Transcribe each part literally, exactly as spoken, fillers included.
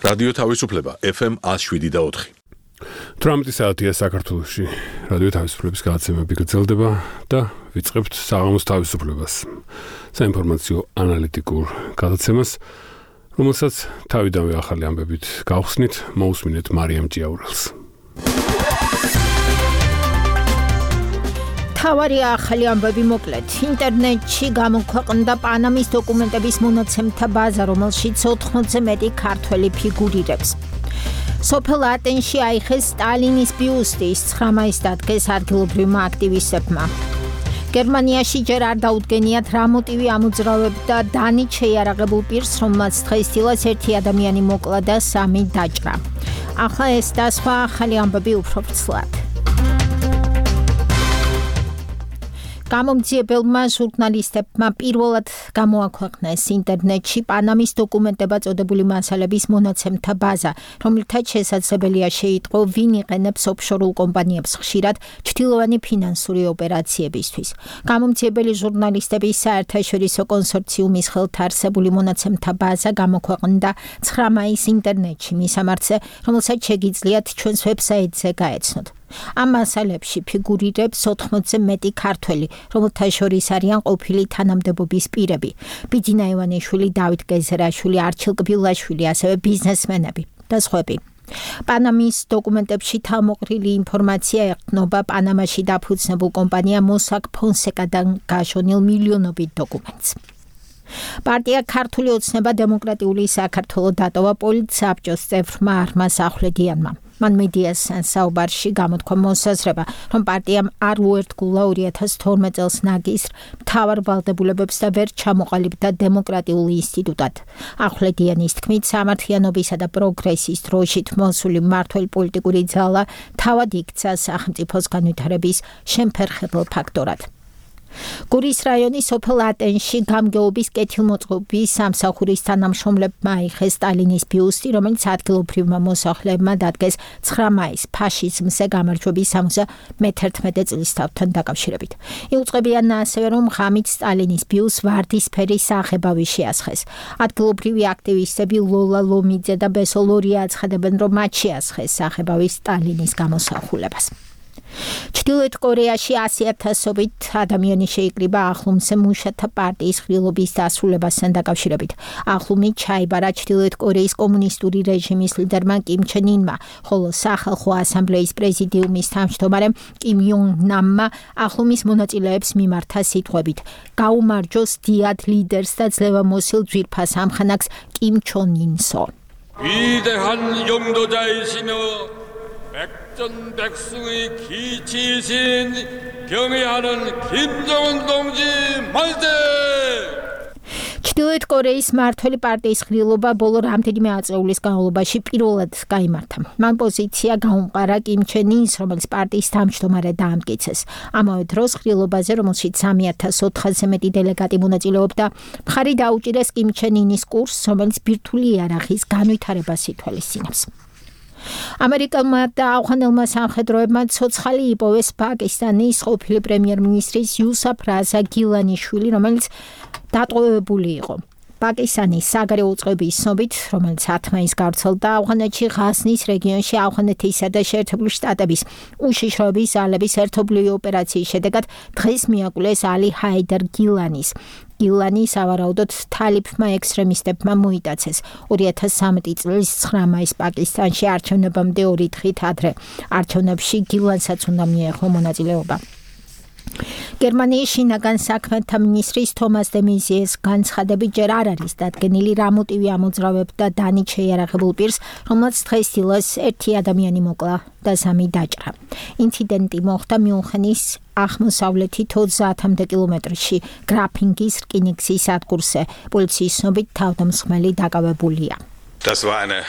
რადიო თავისუფლება ეფ ემ one oh seven და four. თხუთმეტი საათია საქართველოში. რადიო თავისუფლების გადაცემები გრძელდება და ვიწყებთ საღამოს თავისუფლებას. საინფორმაციო ანალიტიკურ გადაცემას, რომელსაც თავიდანვე ახალი ამბებით გავხსნით, მოусმინეთ მარიამ ჭიაურელს. თავარი ახალი ამბები მოკლედ. ინტერნეტში გამოქვეყნდა პანამის დოკუმენტების მონაცემთა ბაზა, რომელშიც ოთხმოცზე მეტი ქართველი ფიგურირებს. სოფელ ატენში აიხეს სტალინის ბიუსტი, ცხრა მაისს დადგეს ადგილობრივმა აქტივისტებმა. გერმანიაში ჯერ არ დაუდგენიათ რა მოტივი ამოძრავებდა დანით შეიარაღებულ პირს, რომელმაც დღესდღეობით ერთი ადამიანი მოკლა და სამი დაჭრა. ახლა ეს და სხვა ახალი ამბები უფრო ვრცლად. გამომძიებელმა ჟურნალისტებმა პირველად გამოაქვეყნეს ინტერნეტში პანამის დოკუმენტებად წოდებული მასალების მონაცემთა ბაზა, რომლითაც შესაძლებელია შეიტყო, ვინ იყენებს ოფშორულ კომპანიებს ხშირად ჩრდილოვანი ფინანსური ოპერაციებისთვის. გამომძიებელი ჟურნალისტების საერთაშორისო კონსორციუმის ხელთ არსებული მონაცემთა ბაზა გამოქვეყნდა ცხრა მაისს ინტერნეტში მისამართზე, რომელსაც შეგიძლიათ ჩვენს ვებსაიტზე გაეცნოთ. ამ მასალებში ფიგურირებს ოთხმოცზე მეტი ქართველი, რომელთა შორის არიან ყოფილი თანამდებობის პირები, ბიძინა ივანიშვილი, დავით გეზერაშვილი, არჩილ კბილაშვილი, ასევე ბიზნესმენები და სხვები. პანამის დოკუმენტებში თავმოყრილი ინფორმაცია ეყრდნობა პანამაში დაფუძნებულ კომპანია მოსაკ ფონსეკადან გაშონილ მილიონობით დოკუმენტს. პარტია ქართული ოცნება დემოკრატიული საქართველო დატოვა პოლიტსაბჭოს წევრმა არმაზ ახვლედიანმა. მან მედიას საუბარში გამოთქვა მოსაზრება, რომ პარტიამ არ უერთგულა ორი ათას თორმეტ წელს ნაგისრ მთავარ ვალდებულებებს და ვერ ჩამოყალიბდა დემოკრატიულ ინსტიტუტად. ახვლედიანის თქმით, სამართლიანობისა და პროგრესის დროშით მოსული მმართველ პოლიტიკური ძალა თავად იქცა სახელმწიფოს განვითარების შემფერხებელ ფაქტორად. გურის რაიონის სოფელ ატენში გამგეობის კეთილმოწყობის სამსახურის თანამშრომლებმა აიხეს სტალინის ბიუსტი, რომელიც ადგილობრივმა მოსახლეებმა დადგეს ცხრა მაისს ფაშიზმზე გამარჯვების სამოცდამეთერთმეტე წლისთავთან დაკავშირებით. იუწყებიან ასევე, რომ ღამით სტალინის ბიუსტს ვარდისფერი საღებავი შეასხეს. ადგილობრივი აქტივისტები ლოლა ლომიძე და ბესო ლორია აცხადებენ, რომ მათ შეასხეს საღებავი სტალინის გამოსახულებას. ჩრდილოეთ კორეაში ასი ათასობით ადამიანი შეიკრიბა ახლუმზე მუშათა პარტიის ხილობის დასრულებასთან დაკავშირებით. ახლუმი ჩაიბარა ჩრდილოეთ კორეის კომუნისტური რეჟიმის ლიდერმა კიმ ჩენ ინმა, ხოლო სახალხო ასამბლეის პრეზიდიუმის თავმჯდომარემ კიმ იონ ნამმა ახლუმის მონაწილეებს მიმართა სიტყვებით: გაუმარჯოს დიად ლიდერს და ძლევამოსილ ძვირფას ამხანაგს კიმ ჩონ ინსო. 위대한 용도자이시며 백전백승의 기치이신 경애하는 김정은 동지 만세! ჩრდილოეთ კორეის მმართველი პარტიის ხილობა ბოლო რამდენიმე ათწლეულის განმავლობაში პირველად გაიმართა. მან პოზიცია გაუმყარა კიმ ჩენ ინს, რომელიც პარტიის თავმჯდომარე დაამტკიცეს. ამავე დროს ხილობაზე, რომელშიც სამი ათას ოთხასზე მეტი დელეგატი მონაწილეობდა, მხარი დაუჭირეს კიმ ჩენ ინის კურსს, რომელიც ბირთვული იარაღის განვითარებას ითვალისწინებს. ამერიკელმა და ავღანელმა სამხედროებმა ცოცხალი იპოვეს პაკისტანის ყოფილი პრემიერ-მინისტრის იუსაფ რაზა გილანიშვილი, რომელიც დატყვევებული იყო. პაკისტანის საგარეო უწყების ცნობით, რომელიც ათ მაისს გავრცელდა ავღანეთში ღაზნის რეგიონში ავღანეთისა და შეერთებული შტატების უშიშროების ძალების ერთობლივი ოპერაციის შედეგად დღეს მიაკვლეს ალი ჰაიდარ გილანის. გილანი სავარაუდოდ თალიფმა ექსტრემისტებმა მოიტაცეს. ორი ათას სამი წლის ცხრა მაისს პაკისტანში არჩევნებამდე ორი დღით ადრე. არჩევნებში გილანსაც უნდა მიეღო მონაწილეობა. გერმანიის შინაგან საქმეთა მინისტრის თომას დე მეზიეს განცხადებით ჯერ არ არის დადგენილი რა მოტივი ამოძრავებდა დანით შეიარაღებულ პირს, რომელმაც დღესდღეობით ერთი ადამიანი მოკლა და სამი დაჭრა. ინციდენტი მოხდა მიუნხენის აღმოსავლეთით ოცდაათამდე კილომეტრში გრაფინგის რკინიგზის სადგურზე. პოლიციის ცნობით თავდამსხმელი დაკავებულია. Das war eine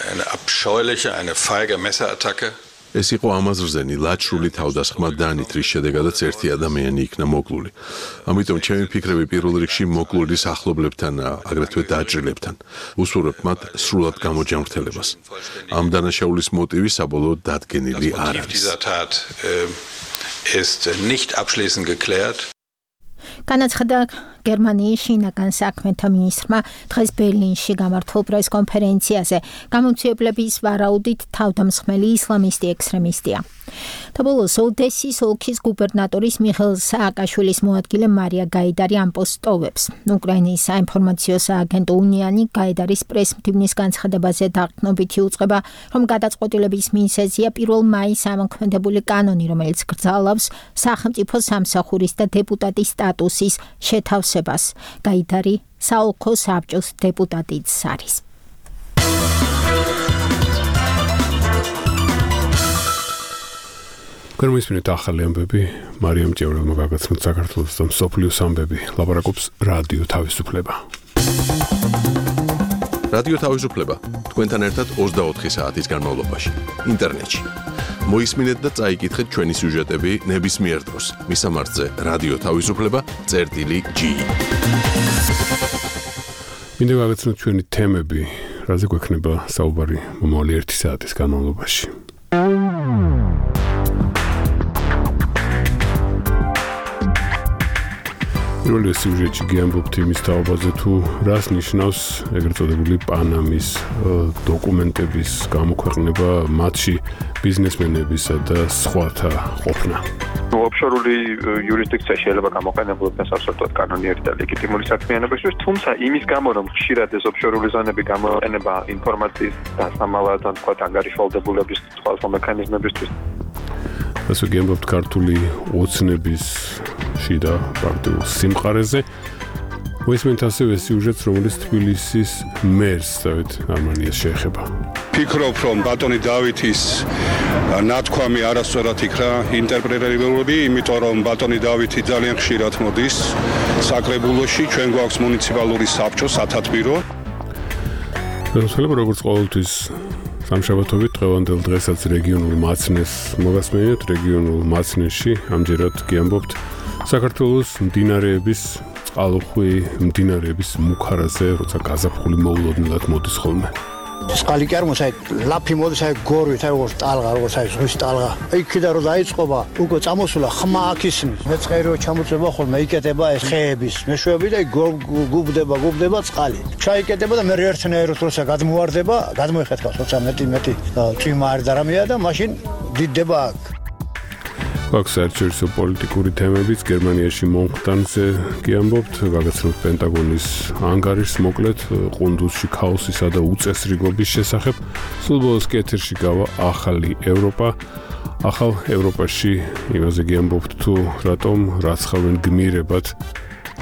eine abscheuliche, eine feige Messerattacke. ეს იყო ამაზრზენი ლაჩრული თავდასხმა დანით, რის შედეგადაც ერთი ადამიანი იქნა მოკლული. ამიტომ ჩემი ფიქრები პირველ რიგში მოკლულის ახლობლებთან, აგრეთვე დაჭრილებთან. უსურვებ მათ სრულად გამოჯანმრთელებას. ამ დანაშაულის მოტივი საბოლოოდ დადგენილი არ არის. ist nicht abschließend geklärt. განაცხადა გერმანიის შინაგან საქმეთა მინისტრმა დღეს ბერლინში გამართულ პრესკონფერენციაზე გამომცემლების ვარაუდით თავდამსხმელი ისლამისტი ექსტრემისტია. და ბოლოს ოდესის ოლქის გუბერნატორის მიხეილ სააკაშვილის მოადგილე მარია გაიდარი ამბობს ტოვებს. უკრაინის საინფორმაციო სააგენტო უნიანი გაიდარის პრესმდივნის განცხადებაზე დაღწნობითი უწყება, რომ გადაწყვეტილების მიზეზია პირველ მაისს ამოქმედებული კანონი, რომელიც გრძალავს სახელმწიფო სამსახურის და დეპუტატის სტატუსის შეთავსებას. გაიდარი საოლქო საბჭოს დეპუტატიც არის. გერმანიის ახალი ამბები მარიამ ჭევრელმა გაგაცნოთ საქართველოს და მსოფლიოს ამბები ლაპარაკობს რადიო თავისუფლება. რადიო თავისუფლება თქვენთან ერთად ოცდაოთხი საათის განმავლობაში ინტერნეტში. მოისმინეთ და წაიკითხეთ ჩვენი სიუჟეტები ნებისმიერ დროს. მისამართზე რადიო თავისუფლება წერტილი ჯი. მინდა გაგაცნოთ ჩვენი თემები, რაზე გვექნება საუბარი მომავალი ერთი საათის განმავლობაში. პირველი სიუჟეტი გიამბობთ იმის თაობაზე თუ რას ნიშნავს ეგრეთ წოდებული პანამის დოკუმენტების გამოქვეყნება, მათში ბიზნესმენებისა და სხვათა ყოფნა. ოფშორული იურისდიქცია შეიძლება გამოყენებულდეს სასწორად კანონიერი და ლეგიტიმური საქმიანობისთვის, თუმცა იმის გამო, რომ ხშირად ეს ოფშორული ზონები გამოყენება ინფორმაციის დასამალად ან თქვა ანგარიშვალდებულების სხვა მექანიზმებისთვის. ასე გიამბობთ ქართული ოცნების შიდა პარტიულ სიმყარეზე. მოისმენთ ასევე სიუჟეტს, რომელიც თბილისის მერს დავით არმანიას შეეხება. ფიქრობ, რომ ბატონი დავითის ნათქვამი არასწორად იქნა ინტერპრეტირებული, იმიტომ რომ ბატონი დავითი ძალიან ხშირად მოდის საკრებულოში, ჩვენ გვაქვს მუნიციპალური საბჭო, სათათბირო. ხელმძღვანელი როგორც ყოველთვის სამშაბათობით დღევანდელ დღესაც რეგიონულ მაცნეს მოგასმენთ. რეგიონულ მაცნეში ამჯერად გიამბობთ საქართველოს მდინარეების წყალუხვი მდინარეების მუქარაზე, როცა გაზაფხული მოულოდნელად მოდის ხოლმე. წყალი კი არ მოსაი ლაფი მოდის აი გორვით აი როგორც ტალღა როგორც აი ზღვის ტალღა იქიდან რომ დაიწყობა უკვე წამოსულა ხმა აქ ისმის მეწყერიო ჩამოწება ხოლმე იკეტება ეს ხეების მეშვეები და გუბდება გუბდება წყალი ჩაიკეტება და მე ერთნაირად როცა გადმოვარდება გადმოიხეთქავს როცა მეტი მეტი წვიმა არ და რამეა და მაშინ დიდდება აქ. აქვს საერთაშორისო პოლიტიკური თემებიც გერმანიაში მომხდარზე გიამბობთ, გაგაცნობთ პენტაგონის ანგარიშს მოკლედ ყუნდუსში ქაოსისა და უწესრიგობის შესახებ. სულ ბოლოს ეთერში გავა ახალი ევროპა. ახალ ევროპაში იმაზე გიამბობთ თუ რატომ რაცხავენ გმირებად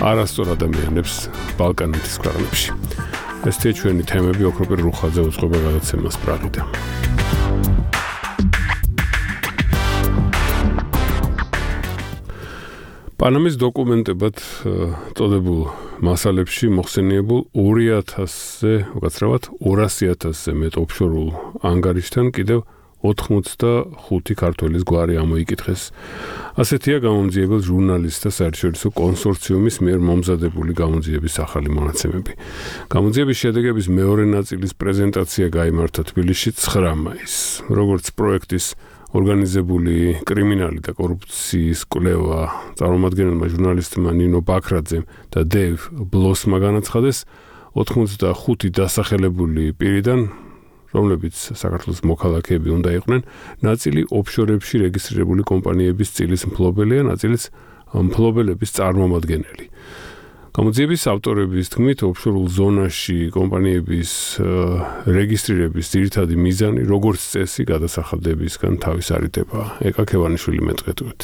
არასწორ ადამიანებს ბალკანეთის ქვეყნებში. ესეთი ჩვენი თემები ოქროპირ რუხაძე უწყობა გადაცემას პრაღიდან. პანამის დოკუმენტებად წოდებულ მასალებში მოხსენიებულ ორი ათასზე, უკაცრავად ორასი ათასზე მეტ ოფშორულ ანგარიშთან კიდევ ოთხმოცდახუთი ქართველის გვარი ამოიკითხეს. ასეთია გამომძიებელ ჟურნალისტთა საერთაშორისო კონსორციუმის მიერ მომზადებული გამომძიების ახალი მონაცემები. გამომძიების შედეგების მეორე ნაწილის პრეზენტაცია გაიმართა თბილისში ცხრა მაისს. როგორც პროექტის ორგანიზებული კრიმინალი და კორუფციის კვლევა წარმომადგენელმა ჟურნალისტმა ნინო ბაქრაძემ და დეივ ბლოსმა განაცხადეს, ოთხმოცდახუთი დასახელებული პირიდან, რომლებიც საქართველოს მოქალაქეები უნდა იყვნენ, ნაწილი ოფშორებში რეგისტრირებული კომპანიების წილის მფლობელია, ნაწილიც მფლობელების წარმომადგენელი. გამოძიების ავტორების თქმით, ოფშორულ ზონაში კომპანიების რეგისტრირების ძირითადი მიზანი, როგორც წესი, გადასახადებისგან თავის არიდება. ეკა ქევანიშვილი მეტყეთუით.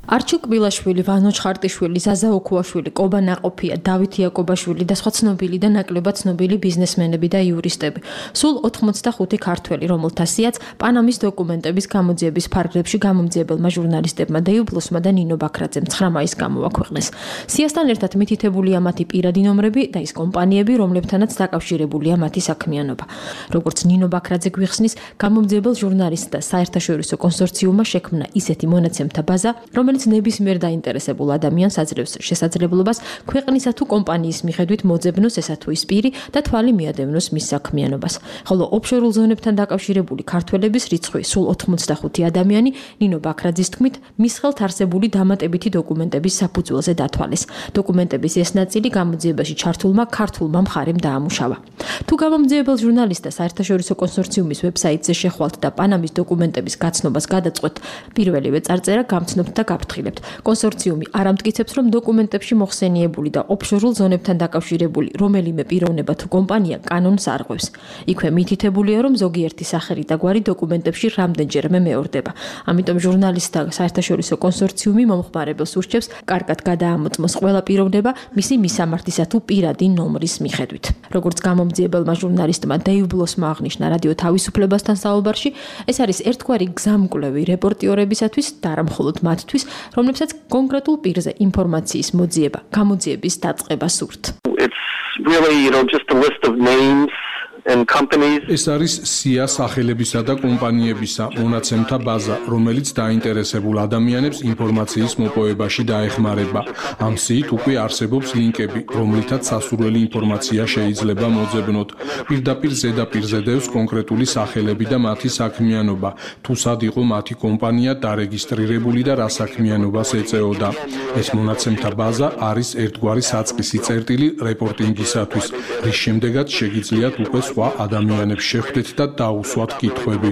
არჩილ კბილაშვილი, ვანო ჩხარტიშვილი, ზაზა ოქუაშვილი, კობა ნაყოფია, დავით იაკობაშვილი და სხვა ცნობილი და ნაკლებად ცნობილი ბიზნესმენები და იურისტები. სულ ოთხმოცდახუთი ქართველი, რომელთა სიაც პანამის დოკუმენტების გამოძიების ფარგლებში გამომძიებელმა ჟურნალისტებმა დეივ ბლოსმა და ნინო ბაქრაძემ ცხრა მაისს გამოაქვეყნეს. სიასთან ერთად მითითებულია მათი პირადი ნომრები და ის კომპანიები, რომლებთანაც დაკავშირებულია მათი საქმიანობა. როგორც ნინო ბაქრაძე გვიხსნის, გამომძიებელ ჟურნალისტთა საერთაშორისო კონსორციუმმა შექმნა ისეთი მონაცემთა ბაზა, რომელიც რომელიც ნებისმიერ დაინტერესებულ ადამიანს აძლევს შესაძლებლობას ქვეყნისა თუ კომპანიის მიხედვით მოძებნოს ესა თუ ის პირი და თვალი მიადევნოს მის საქმიანობას. ხოლო ოფშორულ ზონებთან დაკავშირებული ქართველების რიცხვი სულ ოთხმოცდახუთი ადამიანი ნინო ბაქრაძის თქმით მის ხელთ არსებული დამატებითი დოკუმენტების საფუძველზე დათვალეს. დოკუმენტების ეს ნაწილი გამოძიებაში ჩართულმა ქართულმა მხარემ დაამუშავა. თუ გამომძიებელ ჟურნალისტთა საერთაშორისო კონსორციუმის ვებსაიტზე შეხვალთ და პანამის დოკუმენტების გაცნობას გადაწყვეტ, პირველივე წარწერა გამცნობთ და გაფრთხილებთ. კონსორციუმი არ ამტკიცებს, რომ დოკუმენტებში მოხსენიებული და ოფშორულ ზონებთან დაკავშირებული რომელიმე პიროვნება თუ კომპანია კანონს არღვევს. იქვე მითითებულია, რომ ზოგიერთი სახელი და გვარი დოკუმენტებში რამდენჯერმე მეორდება. ამიტომ ჟურნალისტთა საერთაშორისო კონსორციუმი მომხმარებელს ურჩევს კარგად გადაამოწმოს ყველა პიროვნება მისი მისამართისა თუ პირადი ნომრის მიხედვით. როგორც გამომძიებელმა ჟურნალისტმა დეივ ბლოსმა აღნიშნა რადიო თავისუფლებასთან საუბარში, ეს არის ერთგვარი გზამკვლევი რეპორტიორებისათვის და არა მხოლოდ მათთვის, რომლებსაც კონკრეტულ პირზე ინფორმაციის მოძიება, გამოძიების დაწყება სურთ. It's really, you know, just a list of names and companies. ეს არის სია სახელებისა და კომპანიებისა მონაცემთა ბაზა, რომელიც დაინტერესებულ ადამიანებს ინფორმაციის მოპოვებაში დაეხმარება. ამ სიით უკვე არსებობს ლინკები, რომლითაც სასურველი ინფორმაცია შეიძლება მოძებნოთ. პირდაპირ ზედაპირზე დევს კონკრეტული სახელები და მათი საქმიანობა, თუ სად იყო მათი კომპანია დარეგისტრირებული და რა საქმიანობას ეწეოდა. ეს მონაცემთა ბაზა არის ერთგვარი საწყისი წერტილი რეპორტინგისათვის, რის შემდეგაც შეგიძლიათ უკვე სხვა ადამიანებს შეხვდეთ და დაუსვათ კითხვები.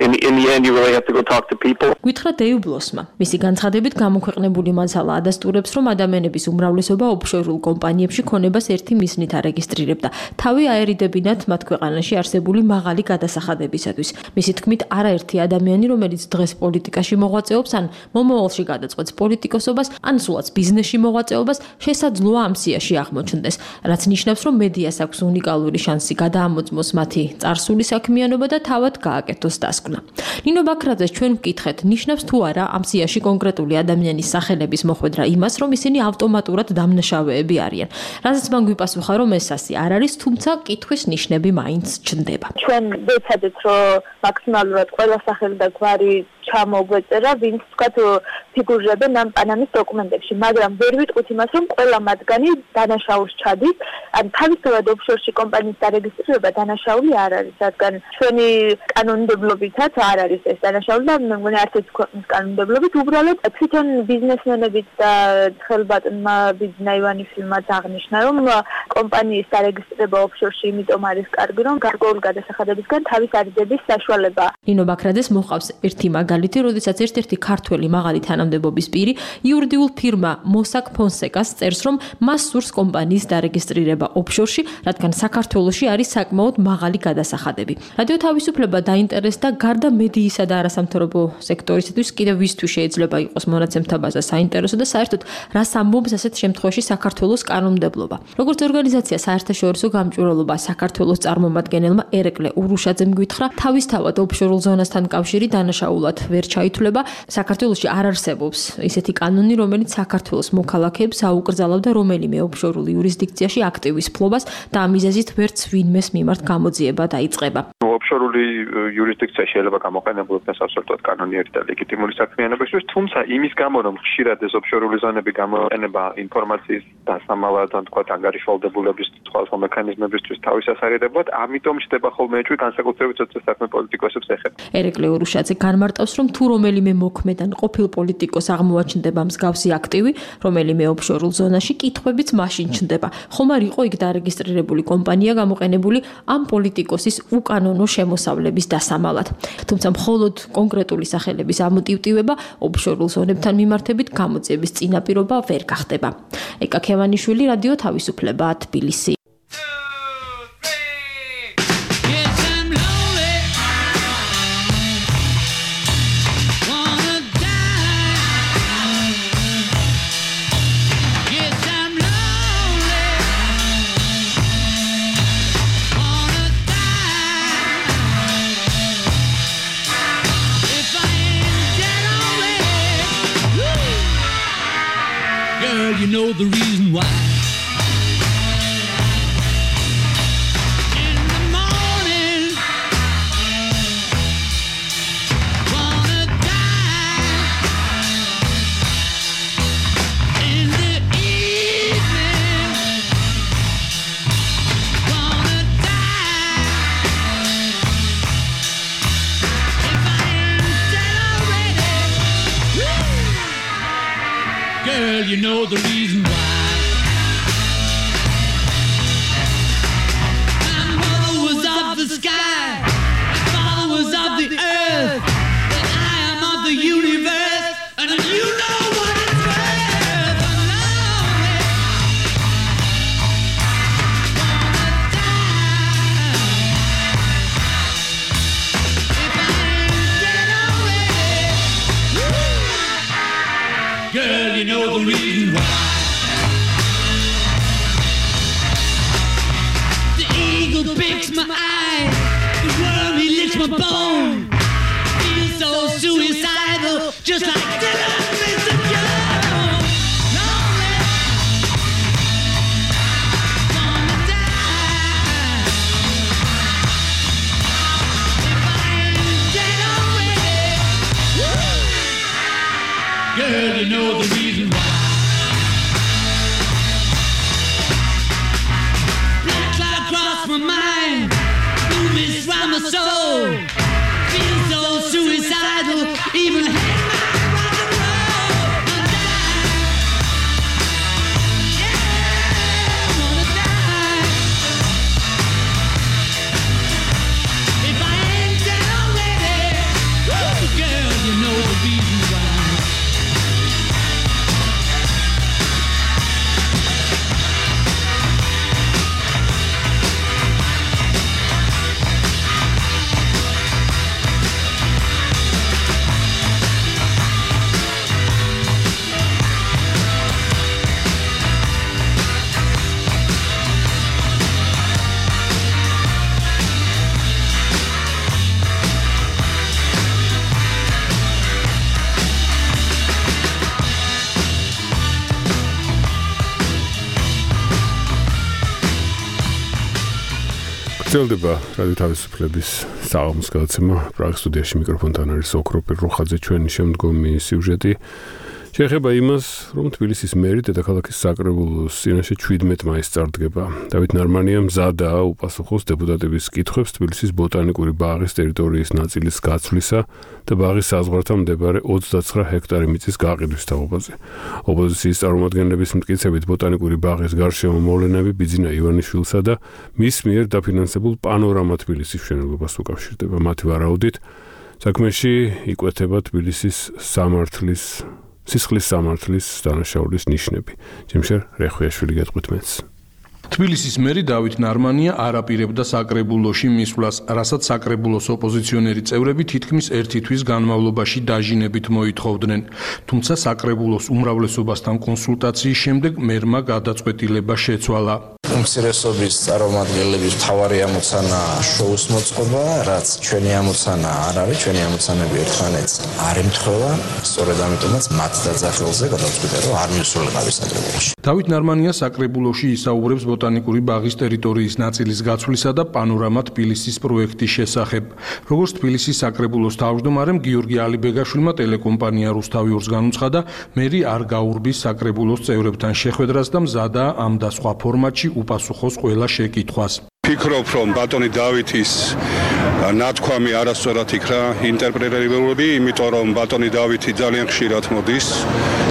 In, in the end, you really have to go talk to people. გითხრა დეივ ბლოსმა. მისი განცხადებით გამოქვეყნებული მასალა ადასტურებს, რომ ადამიანების უმრავლესობა ოფშორულ კომპანიებში ქონებას ერთი მიზნით არეგისტრირებდა. თავი აერიდებინათ მათ ქვეყანაში არსებული მაღალი გადასახადებისათვის. მისი თქმით, არაერთი ადამიანი, რომელიც დღეს პოლიტიკაში მოღვაწეობს, ან მომავალში გადაწყვეტს პოლიტიკოსობას, ან სულაც ბიზნესში მოღვაწეობას, შესაძლოა ამ სიაში აღმოჩნდეს, რაც ნიშნავს, რომ მედიას აქვს უნიკალური შანსი გადაამოწმოს მათი წარსული საქმიანობა და თავად გააკეთოს დასკვნა. ნინო ბაქრაძეს ჩვენ ვკითხეთ, ნიშნავს თუ არა ამ სიაში კონკრეტული ადამიანის სახელების მოხვედრა იმას, რომ ისინი ავტომატურად დამნაშავეები არიან. რაზეც მან გვიპასუხა, რომ ეს ასე არ არის, თუმცა კითხვის ნიშნები მაინც ჩნდება. ჩვენ ვეცადეთ, რომ მაქსიმალურად ყველა სახელი და გვარი ჩამოგვეწერა, ვინც თქვათ ფიგურირებენ ამ პანამის დოკუმენტებში, მაგრამ ვერ ვიტყვით იმას, რომ ყველა მათგანი დანაშაულს ჩადის, ან თავისთავად ოფშორში კომპანიის დარეგისტრირება დანაშაული არ არის, რადგან ჩვენი კანონმდებლობითაც არ არის ეს დანაშაული და მე მგონი არც ერთი ქვეყნის კანონმდებლობით, უბრალოდ თვითონ ბიზნესმენებიც და ხელბატონმა ბიზნაივანიშვილმაც აღნიშნა, რომ კომპანიის დარეგისტრირება ოფშორში იმიტომ არის კარგი, რომ გარკვეული გადასახადებისგან თავის არიდების საშუალება. ნინო ბაქრაძეს მოყავს ერთი მაგალითი, როდესაც ერთ-ერთი ქართველი მაღალი თანამდებობის პირი იურიდიულ ფირმა მოსაკ ფონსეკას წერს, რომ მას სურს კომპანიის დარეგისტრირება ოფშორში, რადგან საქართველოში არის საკმაოდ მაღალი გადასახადები. რადიო თავისუფლება დაინტერესდა გარდა მედიისა და არასამთავრობო სექტორისათვის კიდევ ვისთვის შეიძლება იყოს მონაცემთა ბაზა საინტერესო და საერთოდ რას ამბობს ასეთ შემთხვევაში საქართველოს კანონმდებლობა. როგორც ორგანიზაცია საერთაშორისო გამჭვირვალობა საქართველოს წარმომადგენელმა ერეკლე ურუშაძემ გითხრა, თავისთავად ოფშორულ ზონასთან კავშირი დანაშაულად ვერ ჩაითვლება. საქართველოში არ არსებობს ისეთი კანონი, რომელიც საქართველოს მოქალაქეებს აუკრძალავდა რომელიმე ოფშორულ იურისდიქციაში აქტივის ფლობას და ამ მიზეზით ვერც ვინმეს მიმართ გამოძიება დაიწყება. ოფშორული იურისდიქცია შეიძლება გამოყენებულიყოს სასწორად კანონიერი და ლეგიტიმური საქმიანობისთვის, თუმცა იმის გამო, რომ ხშირად ეს ოფშორული ზონები გამოყენება ინფორმაციის დასამალად, ან თქვა ანგარიშვალდებულების სხვადასხვა მექანიზმებისთვის თავის ასარიდებლად, ამიტომ ჩდება ხოლმე ეჭვი განსაკუთრებით ცოტა საქმე პოლიტიკოსებს ეხება. ერეკლე ურუშაძე განმარტავს, რომ თუ რომელიმე მოქმედან ყოფილ პოლიტიკოს აღმოაჩნდება მსგავსი აქტივი, რომელიმე ოფშორულ ზონაში, კითხვებიც მაშინ ჩნდება. ხომ არ იყო იქ დარეგისტრირებული კომპანია გამოყენებული ამ პოლიტიკოსის უკანონო შემოსავლების დასამალად. თუმცა მხოლოდ კონკრეტული სახელების ამოტივტივება ოფშორულ ზონებთან მიმართებით გამოძიების წინაპირობა ვერ გახდება. ეკა ქევანიშვილი, რადიო თავისუფლება, თბილისი. You know the reason why. In the morning, wanna die. Girl, you know the reason why. My mother was of the sky, my father was of the earth, and I am of the universe, and you know what it's worth. I'm lonely, gonna die if I ain't dead already. Girl, you know the reason why. The eagle picks my eye, the worm he licks my bone. Feels so suicidal, just like Dylan Mister Jones. Lonely, gonna die if I ain't dead already. Girl, you know the reason why. Black cloud cross my mind, blue mist round my soul. Feel so suicidal, even hang my rock and roll. I'll die, yeah, I'm gonna die if I ain't dead already. Woo, girl, you know the reason why. გრძელდება რადიო თავისუფლების საღამოს გადაცემა. პრაღის სტუდიაში მიკროფონთან არის ოქროპირ როხაძე. ჩვენი შემდგომი სიუჟეტი შეეხება იმას, რომ თბილისის მერი დედაქალაქის საკრებულოს წინაშე შვიდმეტ მაისს წარდგება. დავით ნარმანია მზადაა უპასუხოს დეპუტატების კითხვებს თბილისის ბოტანიკური ბაღის ტერიტორიის ნაწილის გაცვლისა და ბაღის საზღვართან მდებარე ოცდაცხრა ჰექტარი მიწის გაყიდვის თაობაზე. ოპოზიციის წარმომადგენლების მტკიცებით ბოტანიკური ბაღის გარშემო მოვლენები ბიძინა ივანიშვილსა და მის მიერ დაფინანსებულ პანორამა თბილისის მშენებლობას უკავშირდება. მათი ვარაუდით, საქმეში იკვეთება თბილისის სამართლის სისხლის სამართლის დანაშაულის ნიშნები. ჯემშერ რეხვიაშვილი გეტყვით მეც. თბილისის მერი დავით ნარმანია არ აპირებდა საკრებულოში მისვლას, რასაც საკრებულოს ოპოზიციონერი წევრები თითქმის ერთი თვის განმავლობაში დაჟინებით მოითხოვდნენ. თუმცა საკრებულოს უმრავლესობასთან კონსულტაციის შემდეგ მერმა გადაწყვეტილება შეცვალა. უმცირესობის წარმომადგენლების მთავარი ამოცანა შოუს მოწყობა, რაც ჩვენი ამოცანა არ არის, ჩვენი ამოცანები ერთმანეთს არ ემთხვევა, სწორედ ამიტომაც მათ დაძახილზე გადავწყვიტე, რომ არ მივსულიყავი საკრებულოში. დავით ნარმანია საკრებულოში ისაუბრებს ბოტანიკური ბაღის ტერიტორიის ნაწილის გაცვლისა და პანორამა თბილისის პროექტის შესახებ. როგორც თბილისის საკრებულოს თავმჯდომარემ გიორგი ალიბეგაშვილმა ტელეკომპანია რუსთავიორს განუცხადა, მერი არ გაურბის საკრებულოს წევრებთან შეხვედრას და მზადაა ამ და სხვა ფორმატში უპასუხოს ყველა შეკითხვას. ფიქრობ, რომ ბატონი დავითის ნათქვამი არასწორად იქნა ინტერპრეტირებული, იმიტომ რომ ბატონი დავითი ძალიან ხშირად მოდის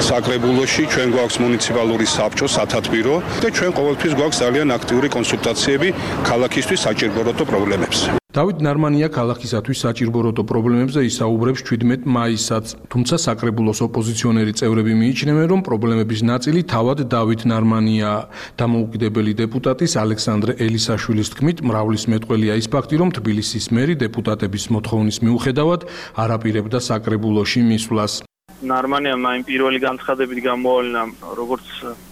საკრებულოში, ჩვენ გვაქვს მუნიციპალური საბჭო, სათათბირო და ჩვენ ყოველთვის გვაქვს ძალიან აქტიური კონსულტაციები ქალაქისთვის საჭიროებო პრობლემებზე. დავით ნარმანია ქალაქისათვის საჭიროებო პრობლემებზე ისაუბრებს შვიდმეტ მაისსაც, თუმცა საკრებულოს ოპოზიციონერი წევრები მიიჩნევენ, რომ პრობლემების ნაწილი თავად დავით ნარმანიაა. დამოუკიდებელი დეპუტატის ალექსანდრე ელისაშვილის თქმით, მრავლის მეტყველია ის ფაქტი, რომ თბილისის მერი დეპუტატების მოთხოვნის მიუხედავად არ აპირებდა საკრებულოში მისვლას. ნარმანიამ ამ პირველი განცხადებით გამოავლინა როგორც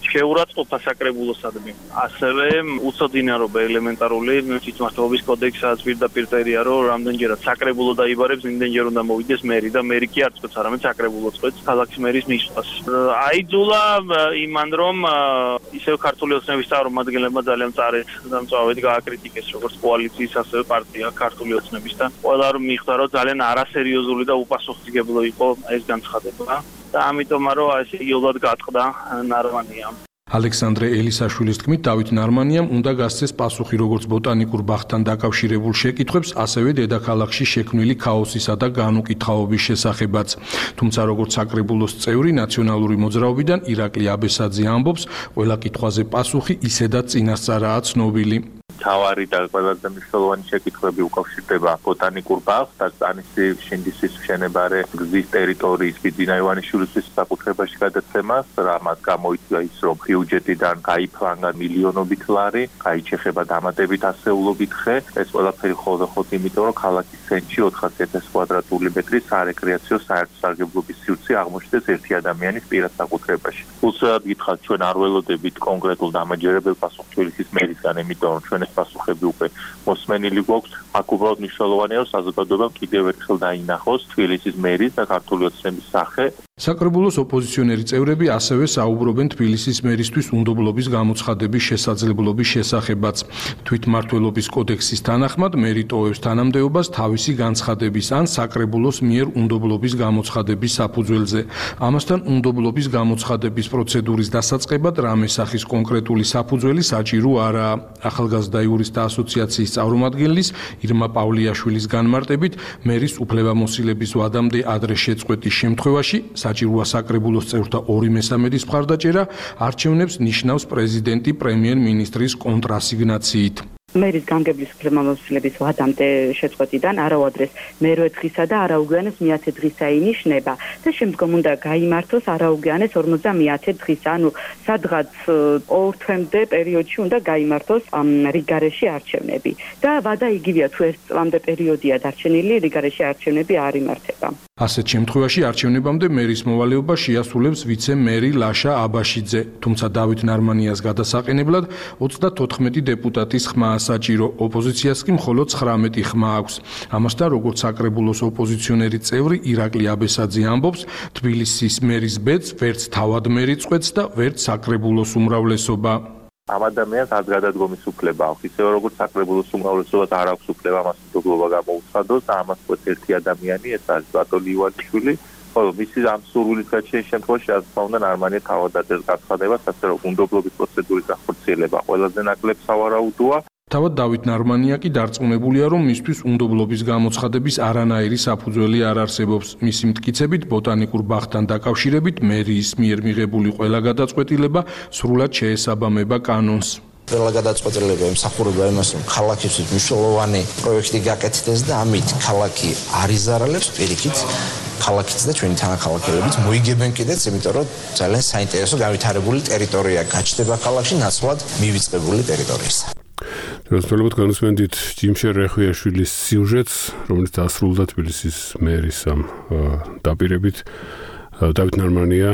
შეურაცხყოფა საკრებულოსადმი, ასევე უცოდინარობა ელემენტარული თვითმმართველობის კოდექსსაც პირდაპირ წერია, რომ რამდენჯერად საკრებულო დაიბარებს, იმდენჯერ უნდა მოვიდეს მერი და მერი კი არ წყვეტს, არამედ საკრებულო წყვეტს ქალაქის მერის მისვლას. აიძულა იმან, რომ ისევ ქართული ოცნების წარმომადგენლებმა ძალიან წარეთ და მწვავედ გააკრიტიკეს როგორც კოალიციის, ასევე პარტია ქართული ოცნების და ყველა რომ მიხვდა, რომ ძალიან არასერიოზული და უპასუხისმგებლო იყო ეს განცხადება. და ამიტომ რომ ასე იოლად გატყდა ნარმანიამ. ალექსანდრე ელისაშვილის თქმით, დავით ნარმანიამ უნდა გასცეს პასუხი როგორც ბოტანიკურ ბაღთან დაკავშირებულ შეკითხვებს, ასევე დედაქალაქში შექმნილი ქაოსისა და განუკითხაობის შესახებაც. თუმცა როგორც საკრებულოს წევრი ნაციონალური მოძრაობიდან ირაკლი აბესაძე ამბობს, ყველა კითხვაზე პასუხი ისედაც წინასწარაა ცნობილი. თავარი და ყველაზე მნიშვნელოვანი შეკითხვები უკავშირდება ბოტანიკურ ბაღს და სტანისის შინდისის მშენებარე გზის ტერიტორიის ბიძინა ივანიშვილის საკუთრებაში გადაცემას, რამაც გამოიწვია ის, რომ ბიუჯეტიდან გაიფლანგა მილიონობით ლარი, გაიჩეხება დამატებით ასეულობით ხე. ეს ყველაფერი ხოლმე იმიტომ, რომ ქალაქის ცენტრში ოთხასი ათასი კვადრატული მეტრის სარეკრეაციო საერთო-სარგებლობის სივრცე აღმოჩნდეს ერთი ადამიანის პირად საკუთრებაში. უცებ გითხრათ, ჩვენ არ ველოდებით კონკრეტულ დამაჯერებელ პასუხს თბილისის მერისგან, იმიტომ რომ ჩვენ პასუხები უკვე მოსმენილი გვაქვს. აქ უბრალოდ მნიშვნელოვანია, რომ საზოგადოებამ კიდევ ერთხელ დაინახოს თბილისის მერის და ქართული ოცნების სახე. საკრებულოს ოპოზიციონერი წევრები ასევე საუბრობენ თბილისის მერისთვის უნდობლობის გამოცხადების შესაძლებლობის შესახებაც. თვითმმართველობის კოდექსის თანახმად მერი ტოვებს თანამდებობას თავისი განცხადების ან საკრებულოს მიერ უნდობლობის გამოცხადების საფუძველზე. ამასთან უნდობლობის გამოცხადების პროცედურის დასაწყებად რამე სახის კონკრეტული საფუძველი საჭირო არაა. ახალგაზრდა იურისტთა ასოციაციის წარმომადგენლის ირმა პავლიაშვილის განმარტებით, მერის უფლებამოსილების ვადამდე ადრე შეწყვეტის შემთხვევაში საჭიროა საკრებულოს წევრთა ორი მესამედის მხარდაჭერა, არჩევნებს ნიშნავს პრეზიდენტი პრემიერ-მინისტრის კონტრასიგნაციით. მერის გამგებლის უფლებამოსილების ვადამდე შეწყვეტიდან არაუდრეს მერვე დღისა და არაუგვიანეს მეათე დღისა ინიშნება და შემდგომ უნდა გაიმართოს არაუგვიანეს ორმოცდამეათე დღისა, ანუ სადღაც ორ თვემდე პერიოდში უნდა გაიმართოს რიგარეში არჩევნები და ვადა იგივეა, თუ ერთ წლამდე პერიოდია დარჩენილი, რიგარეში არჩევნები არ იმართება. ასეთ შემთხვევაში არჩევნებამდე მერის მოვალეობა შეასრულებს ვიცე-მერი ლაშა აბაშიძე, თუმცა დავით ნარმანიას გადასაყენებლად ოცდათოთხმეტი დეპუტატის ხმა საჭირო, ოპოზიციას კი მხოლოდ ცხრამეტი ხმა აქვს. ამასთან, როგორც საკრებულოს ოპოზიციონერი წევრი ირაკლი აბესაძე ამბობს, თბილისის მერის ბედს ვერც თავად მერი წყვეტს და ვერც საკრებულოს უმრავლესობა. ამ ადამიანს არ გადადგომის უფლება აქვს, ისევე როგორც საკრებულოს უმრავლესობას არ აქვს უფლება მას უნდობლობა გამოუცხადოს და ამას ყვეთ ერთი ადამიანი, ეს არის ბატონი ივანიშვილი. ხოლო მისი ამ სურვილის გაჩენის შემთხვევაში, რა თქმა უნდა, ნარმანია თავად აძლევს განცხადებას, ასე რომ უნდობლობის პროცედურის გახორციელება ყველაზე ნაკლებ სავარაუდოა. თავად დავით ნარმანია კი დარწმუნებულია, რომ მისთვის უნდობლობის გამოცხადების არანაირი საფუძველი არ არსებობს. მისი მტკიცებით, ბოტანიკურ ბაღთან დაკავშირებით მერიის მიერ მიღებული ყველა გადაწყვეტილება სრულად შეესაბამება კანონს. ყველა გადაწყვეტილება ემსახურება იმას, რომ ქალაქისთვის მნიშვნელოვანი პროექტი გაკეთდეს და ამით ქალაქი არ იზარალებს, პირიქით ქალაქიც და ჩვენი თანახმოვანებიც მოიგებენ კიდეც, იმიტომ რომ ძალიან საინტერესო განვითარებული ტერიტორია გაჩნდება ქალაქში ნაცვლად მივიწყებული ტერიტორიისა. როსტოლობთ განსვენდით ჯიმშე რეხვიაშვილის სიუჟეტს, რომელიც დასრულდა თბილისის მერის ამ დაპირებით. დავით ნარმანია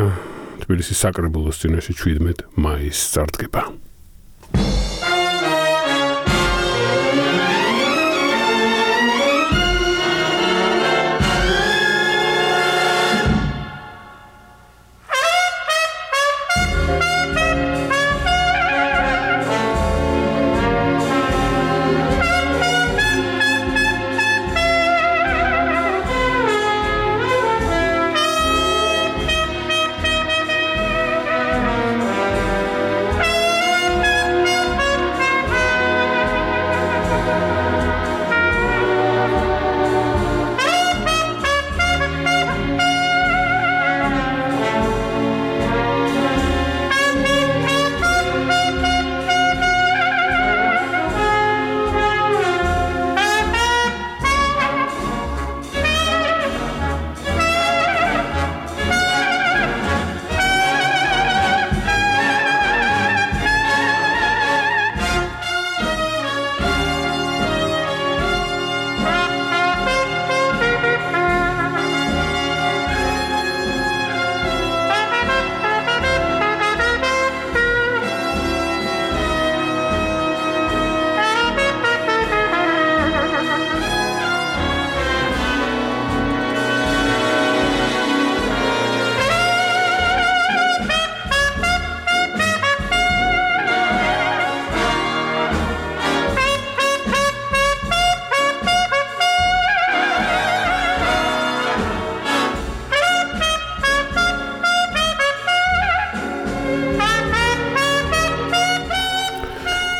თბილისის საკრებულოს წინაშე შვიდმეტ მაისს წარდგება.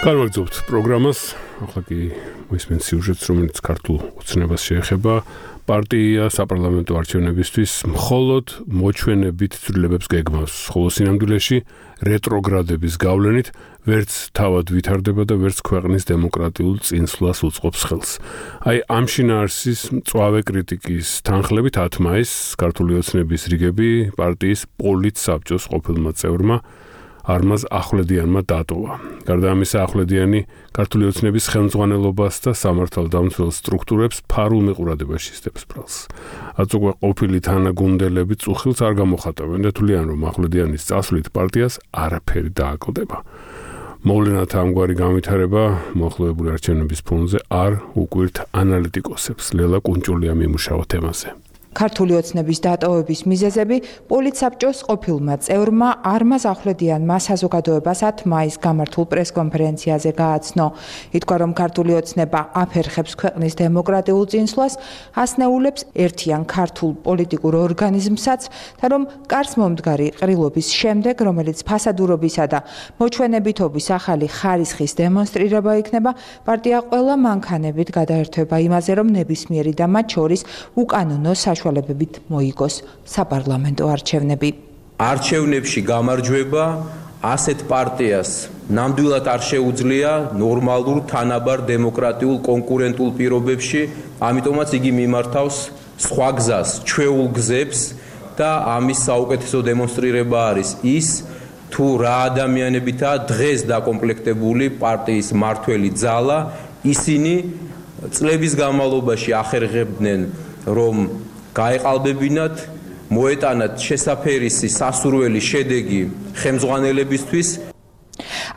Გავაგზავნებთ პროგრამას, ახლა კი მოისმენთ სიუჟეტს, რომელიც ქართულ ოცნებას შეეხება. პარტია საპარლამენტო არჩევნებისთვის მხოლოდ მოჩვენებით ცვლილებებს გეგმავს, ხოლო სინამდვილეში რეტროგრადების გავლენით ვერც თავად ვითარდება და ვერც ქვეყნის დემოკრატიულ წინსვლას უწყობს ხელს. აი ამ შინაარსის მწვავე კრიტიკის თანხლებით ათი მაისს ქართული ოცნების რიგები პარტიის პოლიტსაბჭოს ყოფილმა წევრმა არმაზ ახვლედიანმა დატოვა. გარდა ამისა, ახვლედიანი ქართული ოცნების ხელმძღვანელობას და სამართალდამცველ სტრუქტურებს ფარულ მიყურადობაში სდებს ბრალს. რაც უკვე ყოფილი თანაგუნდელები წუხილს არ გამოხატავენ და თვლიან, რომ ახვლედიანის წასვლით პარტიას არაფერი დააკლდება. მოვლენათა ამგვარი განვითარება მოახლოებული არჩევნების ფონზე არ უკვირთ ანალიტიკოსებს. ლელა კუნჭულია მიმუშავა თემაზე. ქართული ოცნების დატოვების მიზეზები პოლიტსაბჭოს ყოფილმა წევრმა არმაზ ახვლედიანმა საზოგადოებას ათი მაისს გამართულ პრესკონფერენციაზე გააცნო. ითქვა, რომ ქართული ოცნება აფერხებს ქვეყნის დემოკრატიულ წინსვლას, ასნეულებს ერთიან ქართულ პოლიტიკურ ორგანიზმსაც და რომ კარს მომდგარი ყრილობის შემდეგ, რომელიც ფასადურობისა და მოჩვენებითობის ახალი ხარისხის დემონსტრირება იქნება, პარტია ყველა მანქანებით გადაერთვება იმაზე, რომ ნებისმიერი და მათ შორის უკანონო საშუალებებით მოიგოს საპარლამენტო არჩევნები. არჩევნებში გამარჯვება ასეთ პარტიას ნამდვილად არ შეუძლია ნორმალურ თანაბარ დემოკრატიულ კონკურენტულ პირობებში, ამიტომაც იგი მიმართავს სხვა გზას, ჩვეულ გზებს და ამის საუკეთესო დემონსტრირება არის ის, თუ რა ადამიანებითაა დღეს დაკომპლექტებული პარტიის მართველი ძალა, ისინი წლების განმავლობაში ახერხებდნენ, რომ გაეყალბებინათ, მოეტანათ შესაფერისი სასურველი შედეგი ხელმძღვანელებისთვის.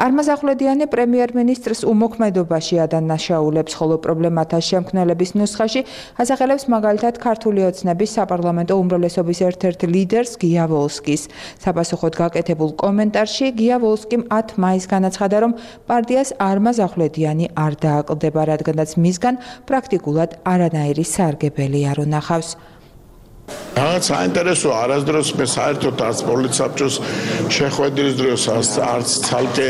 არმაზ ახვლედიანი პრემიერ-მინისტრს უმოქმედობაში ადანაშაულებს, ხოლო პრობლემათა შემქმნელების ნუსხაში ასახელებს მაგალითად ქართული ოცნების საპარლამენტო უმრავლესობის ერთ-ერთ ლიდერს გია ვოლსკის. საპასუხოდ გაკეთებულ კომენტარში გია ვოლსკიმ ათი მაისს განაცხადა, რომ პარტიას არმაზ ახვლედიანი არ დააკლდება, რადგანაც მისგან პრაქტიკულად არანაირი სარგებელი არ უნახავს. რაღაც საინტერესო არასდროს მე საერთოდ არც პოლიტსაბჭოს შეხვედრის დროს არც ცალკე